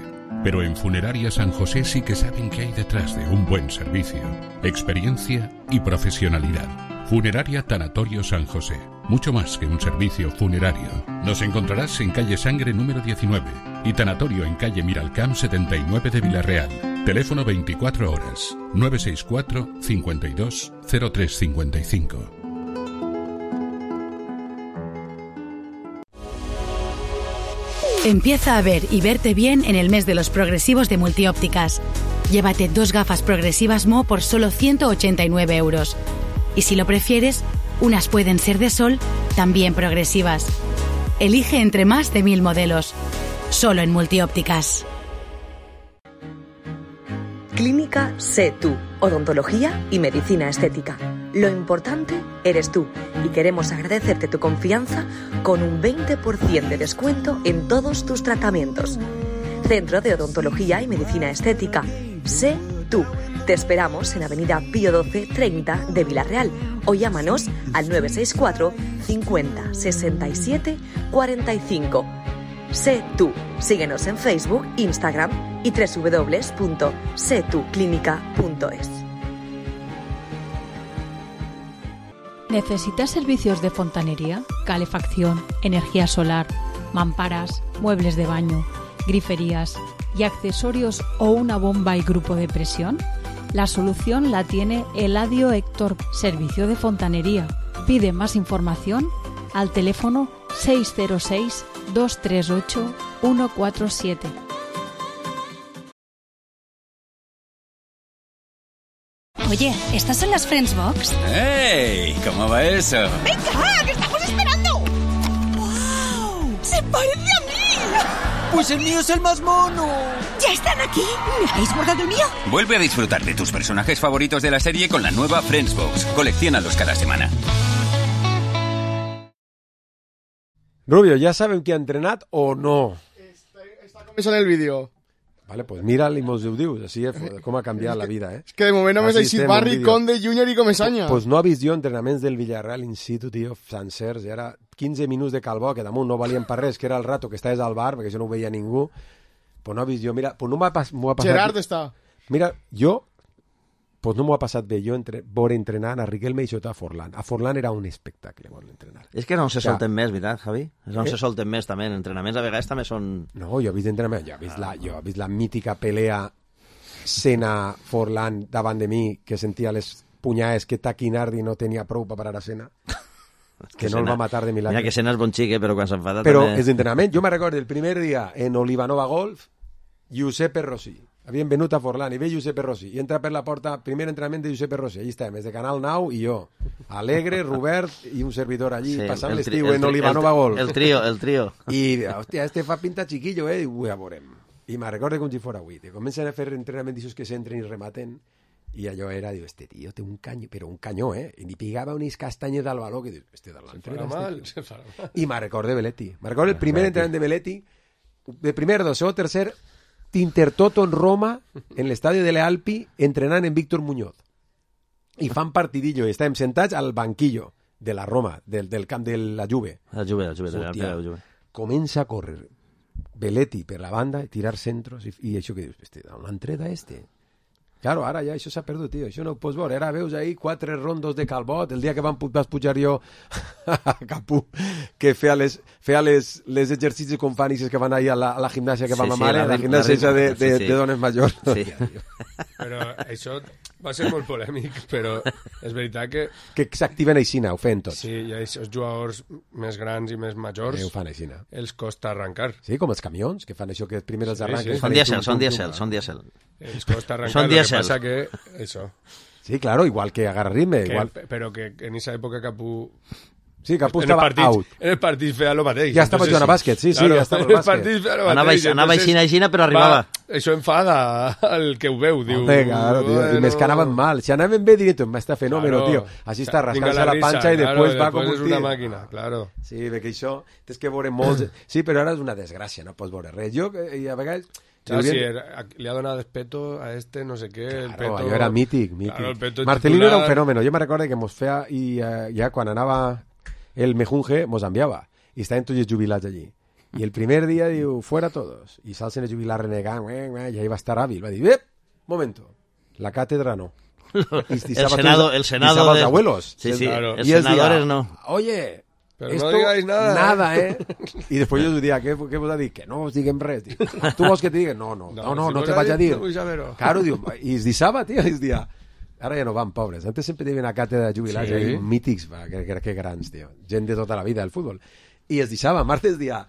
Pero en Funeraria San José sí que saben qué hay detrás de un buen servicio, experiencia y profesionalidad. Funeraria Tanatorio San José, mucho más que un servicio funerario. Nos encontrarás en calle Sangre número diecinueve y Tanatorio en calle Miralcamp setenta y nueve de Villarreal. Teléfono veinticuatro horas, nueve seis cuatro, cincuenta y dos, cero tres cincuenta y cinco. Empieza a ver y verte bien en el mes de los progresivos de Multiópticas. Llévate dos gafas progresivas Mo por solo ciento ochenta y nueve euros. Y si lo prefieres, unas pueden ser de sol, también progresivas. Elige entre más de mil modelos. Solo en Multiópticas. Clínica Sé Tú, odontología y medicina estética. Lo importante eres tú y queremos agradecerte tu confianza con un veinte por ciento de descuento en todos tus tratamientos. Centro de Odontología y Medicina Estética. Sé Tú. Te esperamos en Avenida Pío doce treinta de Villarreal o llámanos al nueve seis cuatro, cincuenta, sesenta y siete, cuarenta y cinco. Sé Tú. Síguenos en Facebook, Instagram y doble u doble u doble u punto sé tú clínica punto es. ¿Necesitas servicios de fontanería? calefacción, energía solar, mamparas, muebles de baño, griferías y accesorios o una bomba y grupo de presión? La solución la tiene Eladio Héctor, servicio de fontanería. Pide más información al teléfono seis cero seis, dos tres ocho, uno cuatro siete. Oye, ¿estas son las Friends Box? ¡Ey! ¿Cómo va eso? ¡Venga, que estamos esperando! ¡Wow! ¡Se parece a mí! ¡Pues el mío es el más mono! ¿Ya están aquí? ¿Me habéis guardado el mío? Vuelve a disfrutar de tus personajes favoritos de la serie con la nueva Friends Box. Colecciónalos cada semana. Rubio, ¿ya saben que ha entrenat o no? Està començant el vídeo. Vale, pues mira-li i mos ho dius, així és com ha canviat la vida, eh? És que de moment només ha eixit Barry, Conde, Júnior i Comesaña. Pues no ha vist jo entrenaments del Villarreal in situ, tio, sencers, i ara quinze minuts de Calbó, que damunt no valien per res, que era el rato que estaves al bar, perquè això no ho veia ningú, pues no ha vist jo, mira, pues no m'ho ha, pas, ha passat... Gerard està. Mira, jo, pues no m'ho ha passat bé jo entre, veure entrenant a Riquelme i sota a Forlán. A Forlán era un espectacle veure entrenar. És que no se solten més, veritat, Javi? És on Eh? se solten més, també. En entrenaments a vegades també són... No, jo he vist entrenament, jo he vist la, jo he vist la mítica pelea Senna-Forlán davant de mi, que sentia les punyades que Taquinardi no tenia prou per parar a Senna, que no el va matar de milagre. Mira que Senna és bon xic, eh, però quan s'enfada Però també... és d'entrenament. Jo me recordo el primer dia en Olivanova Golf, Giuseppe Rossi. Havien venut a Forlán i ve Giuseppe Rossi i entra per la porta, primer entrenament de Giuseppe Rossi, allí estàvem, des de Canal nou i jo, Alegre, Robert i un servidor allí, Sí, passant el tri- l'estiu el en tri- Olivanova el- Golf. el trio, el trio. I, hòstia, este fa pinta chiquillo, eh? I ho ja veurem. I me recordo com si fora avui, te comencen a fer entrenaments d'aixòs que s'entren i rematen, i allò era, diu, este tio té un canyó, però un canyó, eh? I li pigava unes castanyes al baló, que dius, este de l'entrena... Se farà mal, se farà mal. I me recordo de Belletti. Me recordo el primer entrenament de Belletti, de primer, dos, segon, tercer, Tintertoto en Roma, en l'estadi de l'Alpi, entrenant en Víctor Muñoz. I fan partidillo, i estàvem sentats al banquillo de la Roma, del, del camp de la Juve. La Juve, la Juve, de la, de la Juve. Comença a córrer Belletti per la banda, tirar centros, i, i això que dius, este, on l'ha entret a este? Claro, ara ja això s'ha perdut, tio, això no ho pots veure. Ara veus ahí quatre rondos de Calbot, el dia que van, vas pujar jo a Capú, que feia les, feia les, les exercicis com fan que van ahir a la, a la gimnàsia que Sí, vam sí, a mare, la la, rim- gimnàsia la rim- de, de, sí, sí. de dones majors. Sí. Però això va ser molt polèmic, però és veritat que... Que s'activen aixina, ho feien tots. Sí, i aquests jugadors més grans i més majors Eh, ho fan aixina. els costa arrencar. Sí, com els camions, que fan això que primer els Sí, arranquen. sí. Són dièsel, són dièsel, són dièsel. Els costa arrencar, Són lo que dièsel. passa que... Això. Sí, claro, igual que agarra ritme. Que, Igual... Però que en esa època Capú... Sí, Capú en el estava partit, out. En el partit feia lo mateix. Ja estava Entonces, jugant a bàsquet, sí, sí, claro, ja estava al en el bàsquet. partit feia lo Anava- mateix. anava Entonces, aixina, aixina, però arribava. Va, això enfada al que ho veu, diu... Hombre, claro, tío. bueno, Y me escanaban mal. Si anaven bé, directo, me está fenómeno, claro. tío. Así está, Vinga rascándose la, risa, pancha y claro, después va después com és un una tio. màquina, claro. Sí, perquè això... Tens que veure molts... Sí, però ara és una desgràcia, no pots veure res. Jo, eh, i a vegades... Ah, sí, era- le ha donado despeto a este, no sé qué. el Claro, peto, allò era mític, mític. Claro, el peto Marcelino titular. era un fenómeno. Jo me recordo que mos feia... I eh, ja quan anava el Mejunge, mos enviava. I estaven tots els jubilats allí. I el primer dia diu, fuera todos. I s'alcen els jubilats renegant, i ahí va estar hàbil. Va dir, ep, momento, la càtedra no. El senado, el senado de... de... los abuelos. Sí, sí, Claro. els Y es senadores día, no. Oye, Pero esto, no digáis nada, nada, ¿eh? eh? I després jo us diria, què, què vos ha dit? Que no us diguem res. Dic, tu vols que te digui? No, no, no, no, no, si no vos te ha vaig a dit, dir. no vull saber-ho. Claro, diu, i es dissava, tio, es dia. Ara ja no van, pobres. Antes sempre tenien una càtedra de jubilats Sí. ahí, mítics, va, que, que, que grans, tio. Gent de tota la vida del fútbol. I es dissava, martes dia,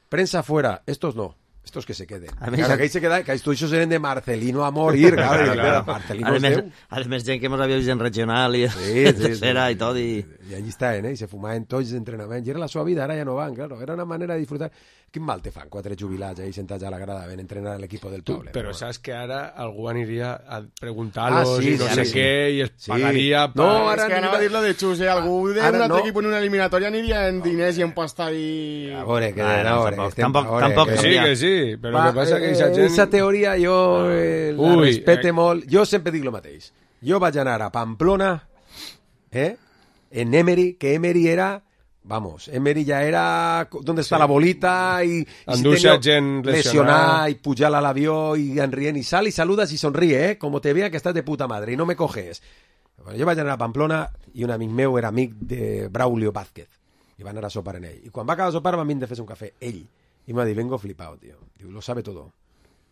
prensa fuera, estos no. Estos que se queden. A més, Claro, que ahí se queda, que estos ellos eren de Marcelino a morir, claro. Claro, i, claro. Marcelino A és més, Déu. a més gent que mos havia vist en regional i Sí, sí, tercera sí. i tot. I... I allí estaven, eh? I se fumaven tots els entrenaments. I era la seva vida, ara ja no van, claro. Era una manera de disfrutar. Quin mal te fan quatre jubilats ahí sentats a la grada ven entrenar a l'equip del Tú, poble. pero sabes que ahora algú aniria a preguntar-los Ah, sí, y no sí, sé sí. qué y es Sí. pagaria... No, pa- ara És que anava a dir lo de Xus, eh? Algú d'un Ara altre no. equip en una eliminatòria aniria en diners i en pasta i... A veure, que Ah, no, no, a veure, tampoc- estem- tampoc- a veure, tampoc Que sí, que sí, però Va, el que passa que eh, aquesta gent... Esa teoria jo eh, la Ui, respecte eh. molt. Jo sempre dic el mateix. Jo vaig anar a Pamplona, eh? En Emery, que Emery era... Vamos, Emery ja era... ¿Dónde está Sí. la bolita? I, i Endur-se tenia gent lesionada. lesionar, i pujar a l'avió, i enrient, i sal, i saludas, i sonríe, eh? Como te vea que estás de puta madre, y no me coges. Bueno, jo vaig anar a Pamplona, i un amic meu era amic de Braulio Vázquez, i va anar a sopar en ell. I quan va acabar de sopar van vindre a fer un cafè, ell. I m'ha dit, vengo flipado, tío. Diu, lo sabe todo.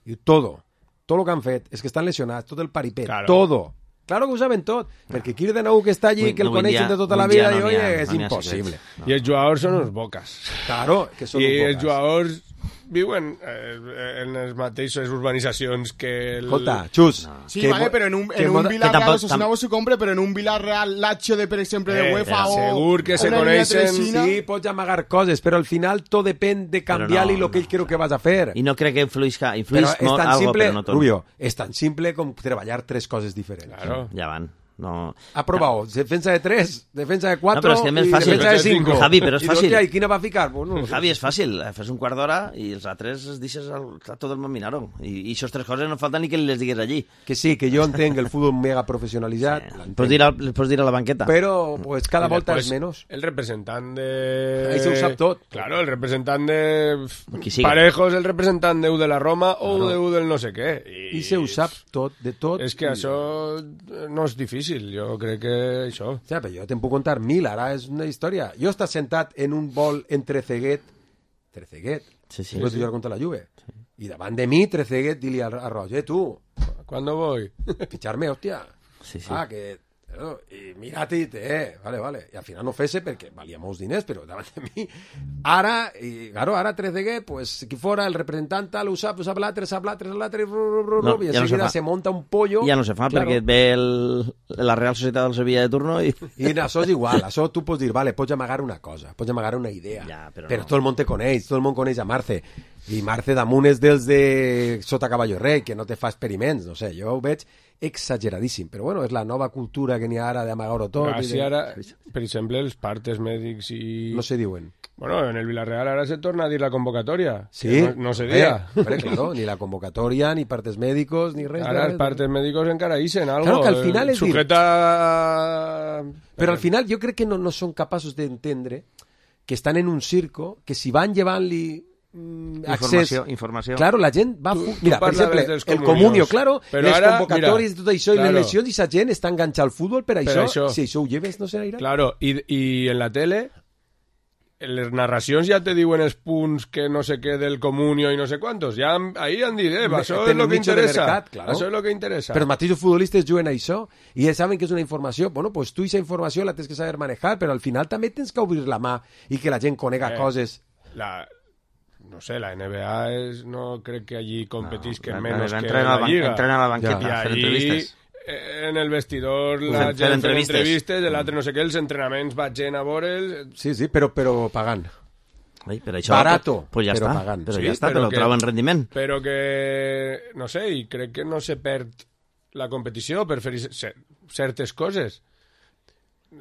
Diu, todo. Todo lo que han fet és que estan lesionats, tot el paripet, claro. todo. Claro que ho saben tot, no. perquè aquí de nou que està allí, que el no, coneixen de tota la vida, no i oye, és no impossible. No. I els jugadors són uns boques. Claro, que són I uns boques. I els jugadors viuen eh, en les mateixes urbanitzacions que... El... Escolta, Xus... No. Sí, que vale, però en un, en un Villarreal, no sé si no s'ho compre, però en un Villarreal Lazio, de, per exemple, de UEFA eh, o... Segur que se coneixen... Sí, pots amagar coses, però al final tot depèn de canviar-li no, el que ell creu que vas a fer. I no crec que influïsca, influïsca molt algo, simple, però no tot. Rubio, és tan simple com treballar tres coses diferents. Claro. Ja van. No. Ha probado defensa de tres, defensa de cuatro, no, pero es que es fácil. Defensa de cinco. Javi, pero es fácil. ¿Y quién va a ficar? Pues no, Javi, és fàcil. Fes un quart d'hora i els altres es deixes a tot el món mirar-ho. I, I això tres coses no falta ni que les digues allí. Que sí, que jo entenc el futbol mega professionalitzat. Sí. Pots dir, al, pots dir a la banqueta. Però pues, cada volta és menys. El representant de... Ahí se ho sap tot. Claro, el representant de... Parejos, el representant de U de la Roma o claro. de U del no sé què. I, I se ho sap tot, de tot. És que això no és difícil, jo crec que això... Ja, però jo te'n puc contar mil, ara és una història. Jo estàs sentat en un vol en Trezeguet, Trezeguet, sí, sí, sí, sí. jugar contra la Juve, sí. I davant de mi, Trezeguet, dili a, a Roger, tu... ¿Cuándo voy? Ficharme, hòstia. Sí, sí. Ah, que... No, i mira-te, eh, vale, vale. I al final no fese perquè valia molts diners, però davant de mi... Ara, i, claro, ara Trezeguet, pues, aquí fora, el representant tal, ho sap, ho sap l'altre, sap l'altre, l'altre, no, i ja enseguida no se, se monta un pollo... Ja no se fa, claro. Perquè et ve el, la Real Societat del Sevilla de turno i... I això és igual, això tu pots dir, vale, pots amagar una cosa, pots amagar una idea, ja, però, però no. tot el món te coneix, tot el món coneix a Marce, i Marce damunt és dels de sota Caballo Rei, que no te fa experiments, no sé, jo ho veig exageradíssim, però bueno, és la nova cultura que n'hi ha ara d'amagar-ho tot. Però i si de... ara, per exemple, els partes mèdics i... No se diuen. Bueno, en el Villarreal ara se torna a dir la convocatòria. Sí. No, no se dia. Hombre, claro, ni la convocatòria, ni partes médicos, ni res. Ara els partes médicos encara ixen algo. Claro que al final és sujeta... dir... Però al final jo crec que no, no són capaços d'entendre que estan en un circo, que si van llevant-li informació, accés... informació. Claro, la gent va... Tu, mira, tu per exemple, el comunio, claro, però les ara, convocatòries i tot això, claro. i les lesions, i la gent està enganxada al futbol per, per això. això. Si això ho lleves, no serà irà. Claro, i, i en la tele, en les narracions ja te diuen els punts que no sé què del comunio i no sé quantos. Ja ahí han dit, eh, això és lo que interessa. Mercat, claro. Això és lo que interessa. Però els mateixos futbolistes juguen a això i ja saben que és una informació. Bueno, pues tu aquesta informació la tens que saber manejar, però al final també tens que obrir la mà i que la gent conega eh, coses. La... No sé, la N B A es, no crec que allí competisquen no, menos que la, la Lliga. Entren a la banqueta ja. a fer allí, entrevistes. En el vestidor la Uf, gent fer entrevistes, l'altre no sé què, els entrenaments va gent a veure'ls... Sí, sí, però, però pagant. Ai, per això, Barato, pues ja però està, pagant. Però sí, ja està, però, però que, troben rendiment. Però que, no sé, i crec que no se perd la competició per fer certes coses.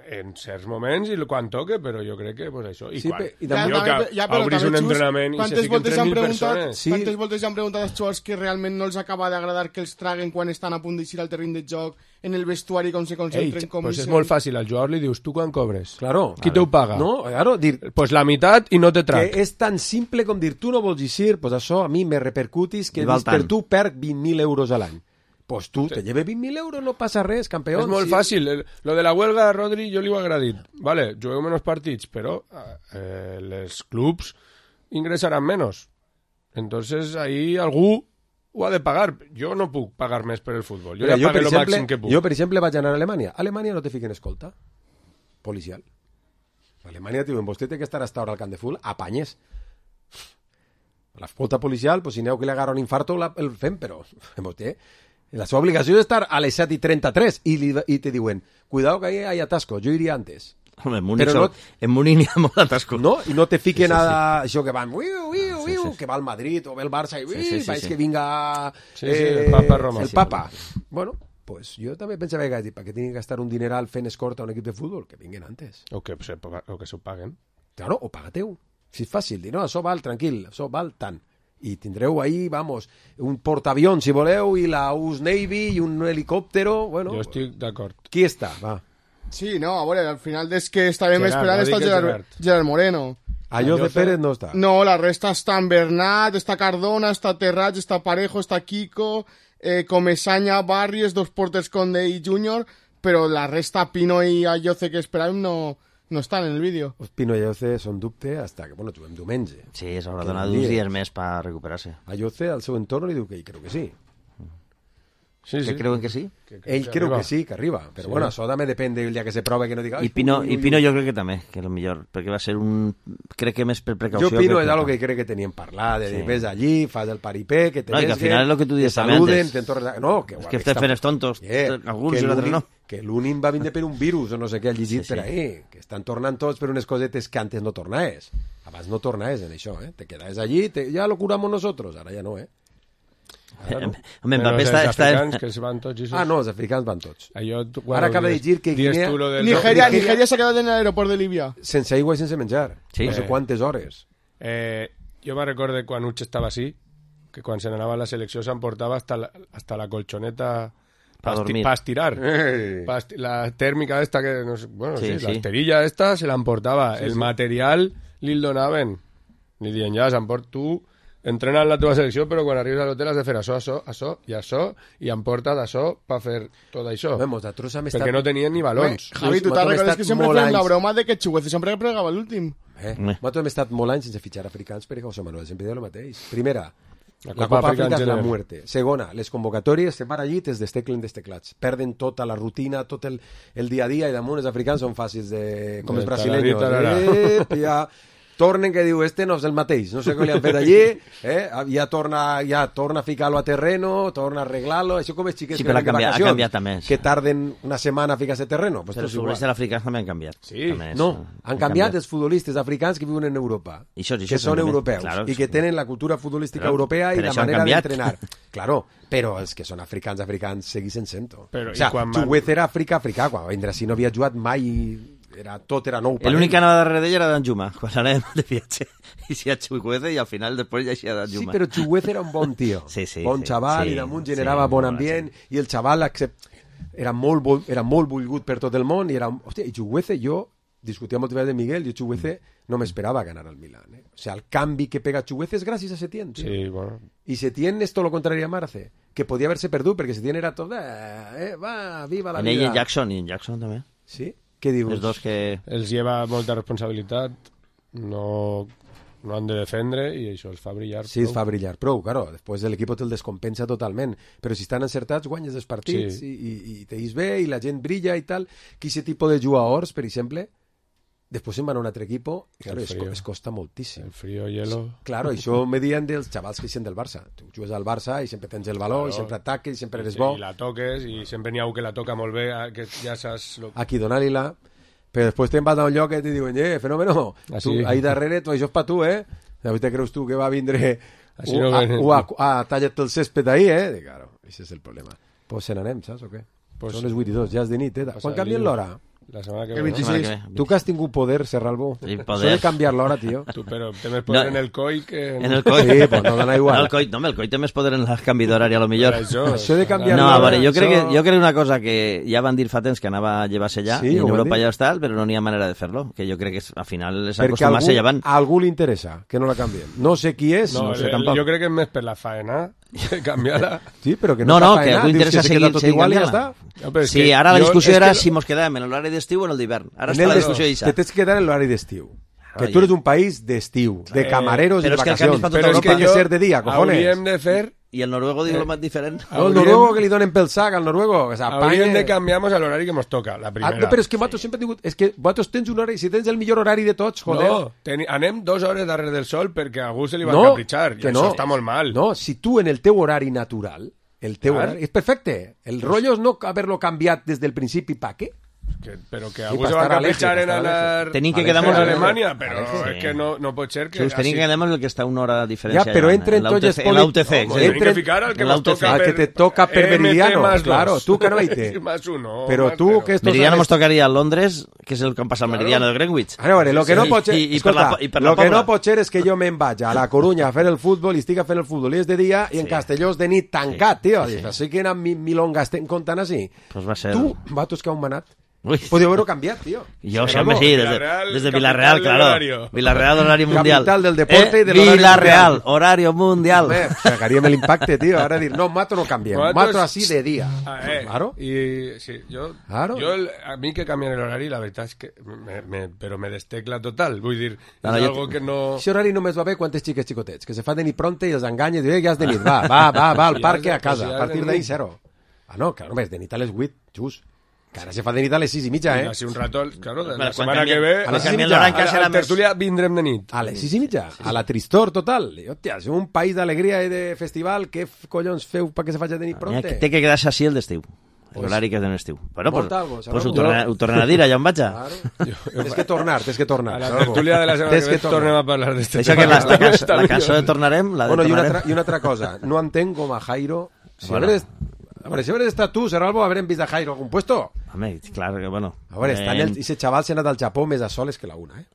En certs moments i quan toque, però jo crec que pues, això... I sí, quan i ja, jo, que ja, obris un entrenament i se fiquen tres mil persones... Sí. Quantes voltes han preguntat als jugadors que realment no els acaba d'agradar que els traguen quan estan a punt d'eixir al terreny de joc, en el vestuari, com se concentren... Ei, com pues se... és molt fàcil, al jugador li dius, tu quan cobres? Claro. Qui claro. te ho paga? No, claro, dir... Pues la meitat i no te trac. Que és tan simple com dir, tu no vols eixir, pues això a mi me repercutis que dis, per tu perc vint mil euros a l'any. Pues tu, te lleves vint mil euros, no passa res, campeón. És molt sí. fàcil. Lo de la huelga, Rodri, jo li ho he agradit. Vale, jugueu menys partits, però eh, les clubs ingressaran menys. Entonces, ahí algú ho ha de pagar. Jo no puc pagar més per el futbol. Jo Mira, ja pagué el màxim que puc. Jo, per exemple, vaig anar a Alemanya. A Alemanya no te fiquen escolta policial. A Alemanya diuen, vostè té que estar hasta ahora al camp de futbol, apanyes. L'escolta policial, pues, si aneu que li agarra un infarto, la, el fem, però vostè... La seva obligació és estar a les set i trenta-tres i, li, i te diuen, cuidado que ahí hay atasco, jo iria antes. Home, en Múnich, no, en Múnich hi ha molt atasco. No, i no te fiquen sí, sí, sí. a això que van, uiu, uiu, uiu, sí, sí. que va al Madrid o ve el Barça i uiu, sí, sí, sí, sí. que vinga sí, sí, eh, el Papa Roma. El Papa. Bueno, pues jo també pensava que per què tinguin que gastar un dineral fent escorta a un equip de futbol? Que vinguen antes. O que, se, o que s'ho paguen. Claro, o pagateu. Si és fàcil, dir, no, això val, tranquil, això val tant. I tindreu ahí, vamos, un portaavión, si voleu, i la U S Navy, i un helicòptero, bueno... Jo estic d'acord. Qui està? Va. Sí, no, a veure, al final és que estàvem Gerard, esperant està Gerard, Gerard. Gerard Moreno. Allò de Pérez no està. No, la resta està en Bernat, està Cardona, està Terrats, està Parejo, està Kiko, eh, Comesaña, Barrios, dos porters Conde i Júnior, però la resta Pino i Ayoce que esperàvem no, No estan en el vídeo. Pino i Ayoce són dubte hasta que, bueno, juguem diumenge. Sí, s'haurà donat uns dies més per recuperar-se. Ayoce al seu entorn li diu que ell creu que sí. Sí, que sí. creuen que sí? Que ell creu que sí, que arriba. Però sí. Bueno, això també depèn del dia que se prova que no diga... I Pino, i Pino jo crec que també, que és el millor, perquè va ser un... Crec que més per precaució... Jo Pino és que... algo que crec que tenien parlat, de dir, sí. Ves allí, fas el paripé, que te no, i que al final és el que tu dius també saluden, te'n tornes... No, que... És que estem fent els tontos, yeah. alguns i l'altre no. Que l'únim va vindre per un virus o no sé què ha llegit sí, sí. per ahí, que estan tornant tots per unes cosetes que antes no tornaves. Abans no tornaves en això, eh? Te quedaves allí, te... ja lo curamos nosotros, ara ja no, eh? No. Home, Mbappé està... Els africans està... que es van tots... Ah, no, els africans van tots. Allò, bueno, ara acaba de dir que Guinea... Nigeria, Nigeria s'ha quedat en l'aeroport de Líbia. Sense aigua i sense menjar. Sí. No sé quantes hores. Eh, jo me recordo quan Uche estava així, que quan se n'anava a la selecció s'emportava hasta la, hasta la colchoneta para dormir. Para estirar. Hey. Pa esti la tèrmica esta que... No sé, bueno, sí, sí, sí. la esterilla esta se l'emportava. Sí, el sí. material li'l donaven. Li diuen, ja, s'emport tu... Entrena en la teva selecció, però quan arribes a l'hotel has de fer això, això, això i això, i em porta d'això per fer tot això. Bé, nosaltres hem estat... Perquè no tenien ni balons. Bé, Javi, tu te'n recordes que sempre fèiem la broma de que Chuguece sempre pregava l'últim. Eh? Nosaltres hem estat molt anys sense fitxar africans perquè José Manuel sempre deia el mateix. Primera, la la Copa Copa Àfrica Àfrica és la general. muerte. Segona, les convocatòries se van allí i es desteclen desteclats. Perden tota la rutina, tot el, el dia a dia, i damunt els africans són fàcils de... com els brasileños. Eh, ja... Tornen que diu, este no és el mateix, no sé què li han fet allí, eh? ja, torna, ja torna a ficar-lo a terreno, torna a arreglar-lo, això com els xiquets sí, que venen de canviat, vacacions, ha canviat també, que tarden una setmana a ficar-se a terreno. Pues però els futbolistes africans també han canviat. Sí, també és, no, han, han canviat els futbolistes africans que viuen en Europa, I això, i això que són també, europeus, claro, i que tenen la cultura futbolística però, europea i la això han manera canviat. d'entrenar. Claro, però els que són africans, africans, segueixen sent-ho. Però, o sigui, van... Chuguez era Àfrica, africà, quan va vindre així no havia jugat mai... Era, tot era nou. L'únic que anava darrere d'ell era Danjuma, quan anàvem de viatge. I si a Chuguece i al final després ja hi ha Danjuma. Sí, però Chuguece era un bon tio. Sí, sí, bon sí, xaval, sí, i damunt generava sí, bon ambient, i el xaval accept... era, molt, era molt volgut per tot el món, i era... Hòstia, i Chuguece, jo discutia moltes vegades de Miguel, jo Chuguece no m'esperava ganar al Milan. Eh? O sea, el canvi que pega Chuguece és gràcies a Setién, tio. Sí, bueno. I Setién és tot lo contrari a Marce, que podia haver-se perdut, perquè Setién era tot... Eh, eh, va, viva la en vida. En ell i Jackson, i en Jackson també. Sí? Què dius? Els dos que... Els lleva molta responsabilitat, no, no han de defendre i això els fa brillar sí, prou. els fa brillar prou, claro. Després l'equip te'l descompensa totalment, però si estan encertats guanyes els partits sí. i, i, i te'ls bé i la gent brilla i tal, que aquest tipus de jugadors, per exemple, després se'n van a un altre equip i claro, es, es costa moltíssim. El frío, hielo... Claro, això me diuen dels xavals que eixen del Barça. Tu jugues al Barça i sempre tens el valor, claro. I sempre ataques, i sempre eres bo. I la toques, i sempre n'hi ha un que la toca molt bé, que ja saps... Lo... Aquí donar-li-la, però després te'n vas a un lloc que te diuen, eh, fenómeno, ah, tu, sí. ahí darrere, tu, això és pa tu, eh? Te creus tu que va vindre Así u, no a, ven... a, a, a tallar-te el césped ahí, eh? De, claro, ese és el problema. Pues se n'anem, saps o què? Pues, són les vuit i dos, ja és de nit, eh? Quan canvien l'hora? La setmana que el ve. vint-i-sis. Tu que has tingut poder, Serralbo. Sí, poder. Suele canviar l'hora, tio. Tu, però té més poder no. en el coi que... En el coi. Sí, pues no dona igual. No, el coi, no, el coi té més poder en el canvi d'horari, a lo millor. Això, això de canviar no, l'hora... a veure, jo crec, això... que, jo crec una cosa que ja van dir fa temps que anava a llevar-se ja, sí, i en Europa dir. ja està, però no n'hi ha manera de fer-lo, que jo crec que és, al final és perquè acostumar-se llevant. A algú li interessa que no la canviem. No sé qui és, no, no sé el, tampoc. Jo crec que és més per la faena, canviar-la. Sí, però que no, no, no faena, que a algú interessa dius, seguir, tot seguir igual i ja canviant-la. està. No, sí, ara la discussió era que... si mos quedàvem en l'horari d'estiu o en el d'hivern. Ara en està la el discussió de... aquesta. Te tens que quedar en l'horari d'estiu. Que tu eres un país d'estiu, de camareros eh, i de vacacions. Però però és que jo... ser de dia, cojones. Hauríem de fer... I el noruego diu lo más diferent. No, el noruego que li donen pel sac al noruego. Que hauríem de canviar-nos a l'horari que ens toca, la primera. Ah, no, però és que vosaltres sempre hem tingut... És que vosaltres tens un horari... Si tens el millor horari de tots, joder... No, ten... anem dues hores darrere del sol perquè a algú se li va no, capritxar. I que això no. està molt mal. No, si tu en el teu horari natural... El teu Clar. horari... És perfecte. El rotllo és no haver-lo canviat des del principi, ¿pa què? Que, però que Sí, algú pa se va estar capritxar en Aleje, anar Tenim que a quedar molt Alemanya, però sí. és que no, no pot ser que... Just, tenim que quedar amb el que està una hora de diferència. Ja, però entren tots els En l'U T C. No, tenim que ficar el que, toca al que te toca per meridiano. Claro, tu que no hi té. Però tu que... Meridiano nos tocaria a Londres, que és el que han passat el meridiano de Greenwich. A veure, lo que no pot ser... I, i per la, i per la lo que no pot ser és que jo me'n vaig a la Corunya a fer el futbol i estic fent el futbol i és de dia i en Castelló és de nit tancat, tio. Així que eren milongas estem comptant així. Pues va ser... Tu, vatos que han manat, Podeu haver-ho canviat, tio. Jo sempre sí, des de, des de Villarreal, claro. Villarreal, horari mundial. Capital del deporte eh, i de l'horari Villarreal, mundial. horario mundial. Home, sacaríem l'impacte, tio. Ara dir, no, Mato no canviem. Mato Mato es- así de día. Ah, eh, Claro. Y sí, yo, Claro. yo el- a mí que cambian el horario, la verdad es que me, me, pero me destecla total. Vull dir, No, és no, algo jo- que no... Aquest horari només va bé quan tens xiques xicotets, que se fa de nit pronta i els enganya i diu, eh, ja és de nit, va, va, va, va al Si parc ja és a de- casa, si ja a és partir de d'ahí nit. zero. Ah, no, clar, només de nit a les vuit, just. Que ara se fa de nit a les sis i mitja, eh? Así un rato, claro, de Bueno, la quan setmana canviem- que ve... A les sis i canviem mitja. l'horari A que la, serà a la més... tertúlia vindrem de nit. A les sis i mitja, a la tristor total. I, hòstia, és un país d'alegria i de festival, què f- collons feu perquè se faci de nit Mira, pronta? que té que quedar-se així el d'estiu. Pues- L'horari que és de l'estiu. Bueno, pues, Monta algo, pues Salvo. ho, torna, ho tornen a dir, allà on vaig. Claro. Tens que tornar, tens que tornar. A la Salvo. tertúlia de la setmana Tens que ve tornar. tornem a parlar d'este Això que la, la, cançó, la cançó de Tornarem, la de Bueno, i una, Tornarem. altra, I una altra cosa, no entenc com a Jairo... Si Bueno. bueno. A veure, si hauries estat tu, Serralbo, haurem vist a Jairo a algun puesto. Home, clar que, bueno... A veure, està en el, ese xaval s'ha anat al Japó més a soles que la una, eh?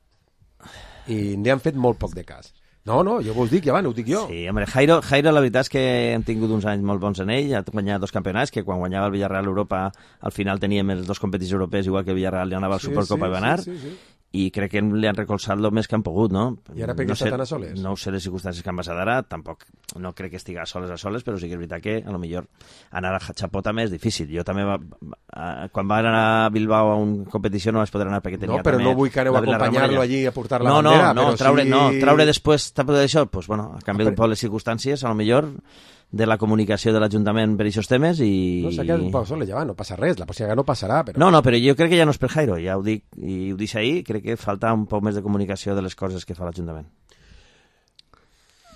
I n'hi han fet molt poc de cas. No, no, jo vos dic, ja va, no ho dic jo. Sí, home, Jairo, Jairo la veritat és que hem tingut uns anys molt bons en ell, ha guanyat dos campionats, que quan guanyava el Villarreal Europa al final teníem els dos competicions europees, igual que el Villarreal li anava al Sí, Supercopa sí, i va anar, sí, sí, sí. i crec que li han recolzat el més que han pogut, no? I ara per què no està sé, tan a soles? No ho sé les circumstàncies que han passat ara, tampoc no crec que estigui a soles a soles, però sí que és veritat que a lo millor anar a Chapó també és difícil. Jo també, va, va, quan va anar a Bilbao a una competició no vaig poder anar perquè tenia No, però també no vull que aneu a la Villarreal acompanyar-lo Morella. allí a portar la no, bandera, no, no, però traure, sí- no, traure després d'això, pues, bueno, a canvi d'un poc les circumstàncies, a lo millor de la comunicació de l'Ajuntament per aquests temes i... No, s'ha quedat un poc soles, ja va, no passa res, la pròxima vegada no passarà, però... No, no, però jo crec que ja no és per Jairo, ja ho dic, i ho dic ahir, crec que falta un poc més de comunicació de les coses que fa l'Ajuntament.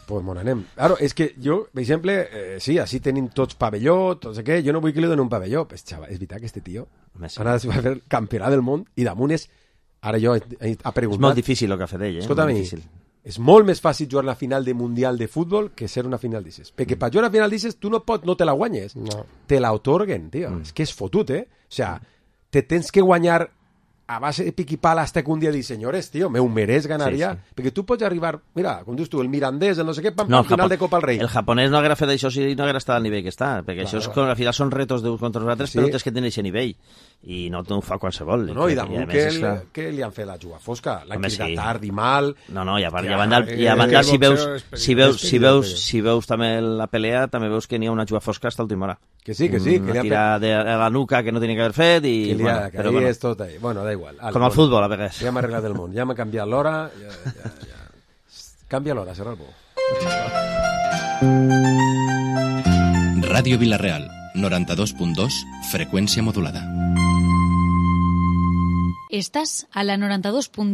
Pues mon anem. Claro, és que jo, per exemple, eh, sí, així tenim tots pavelló, tot sé què, jo no vull que li doni un pavelló. Pues, xaval, és veritat que este tio Home, sí. ara es va fer campionat del món i damunt és... Ara jo he, he, ha preguntat... És molt difícil el que ha fet ell, eh? Escolta, molt mi, difícil. és molt més fàcil jugar la final de Mundial de Futbol que ser una final d'Ises. Perquè per jugar la final d'Ises tu no pots, no te la guanyes. No. Te la otorguen, tio. Mm. És que és fotut, eh? O sea, te tens que guanyar a base de pic i pala hasta que un dia dius, senyores, tio, me ho mereix ganar Sí, ja. sí. Perquè tu pots arribar, mira, com dius tu, el mirandès, el no sé què, pam, No, pam, final Japó- de Copa al Rei. El japonès no haguera fet això si no haguera estat al nivell que està, perquè Claro. això és, com, al final són retos d'uns contra els altres, Sí. però tens que tenir aquest nivell, i no t'ho fa qualsevol. No, no, i Crec damunt a que, més és el, clar. que li han fet la juga fosca, l'han Home, cridat sí. tard i mal. No, no, i a, part, Que, i a banda, eh, i a banda que si, el veus, boxeo és si, veus, perilós, si, veus, perilós. si veus també la pelea, també veus que n'hi ha una juga fosca hasta l'última hora. Que sí, que sí. Una que li han tira de, a la nuca que no tenia que haver fet, i, Que li bueno, ha, que però ahí bueno, és tot ahí. Bueno, da igual. Ale, com al bueno, futbol, a vegades. Ja m'ha arreglat el món, ja m'ha canviat l'hora. Ja, ja, ja. Canvia l'hora, Serralbo. Ràdio Vilareal, noranta-dos punt dos, freqüència modulada. Estás a la noranta-dos punt dos.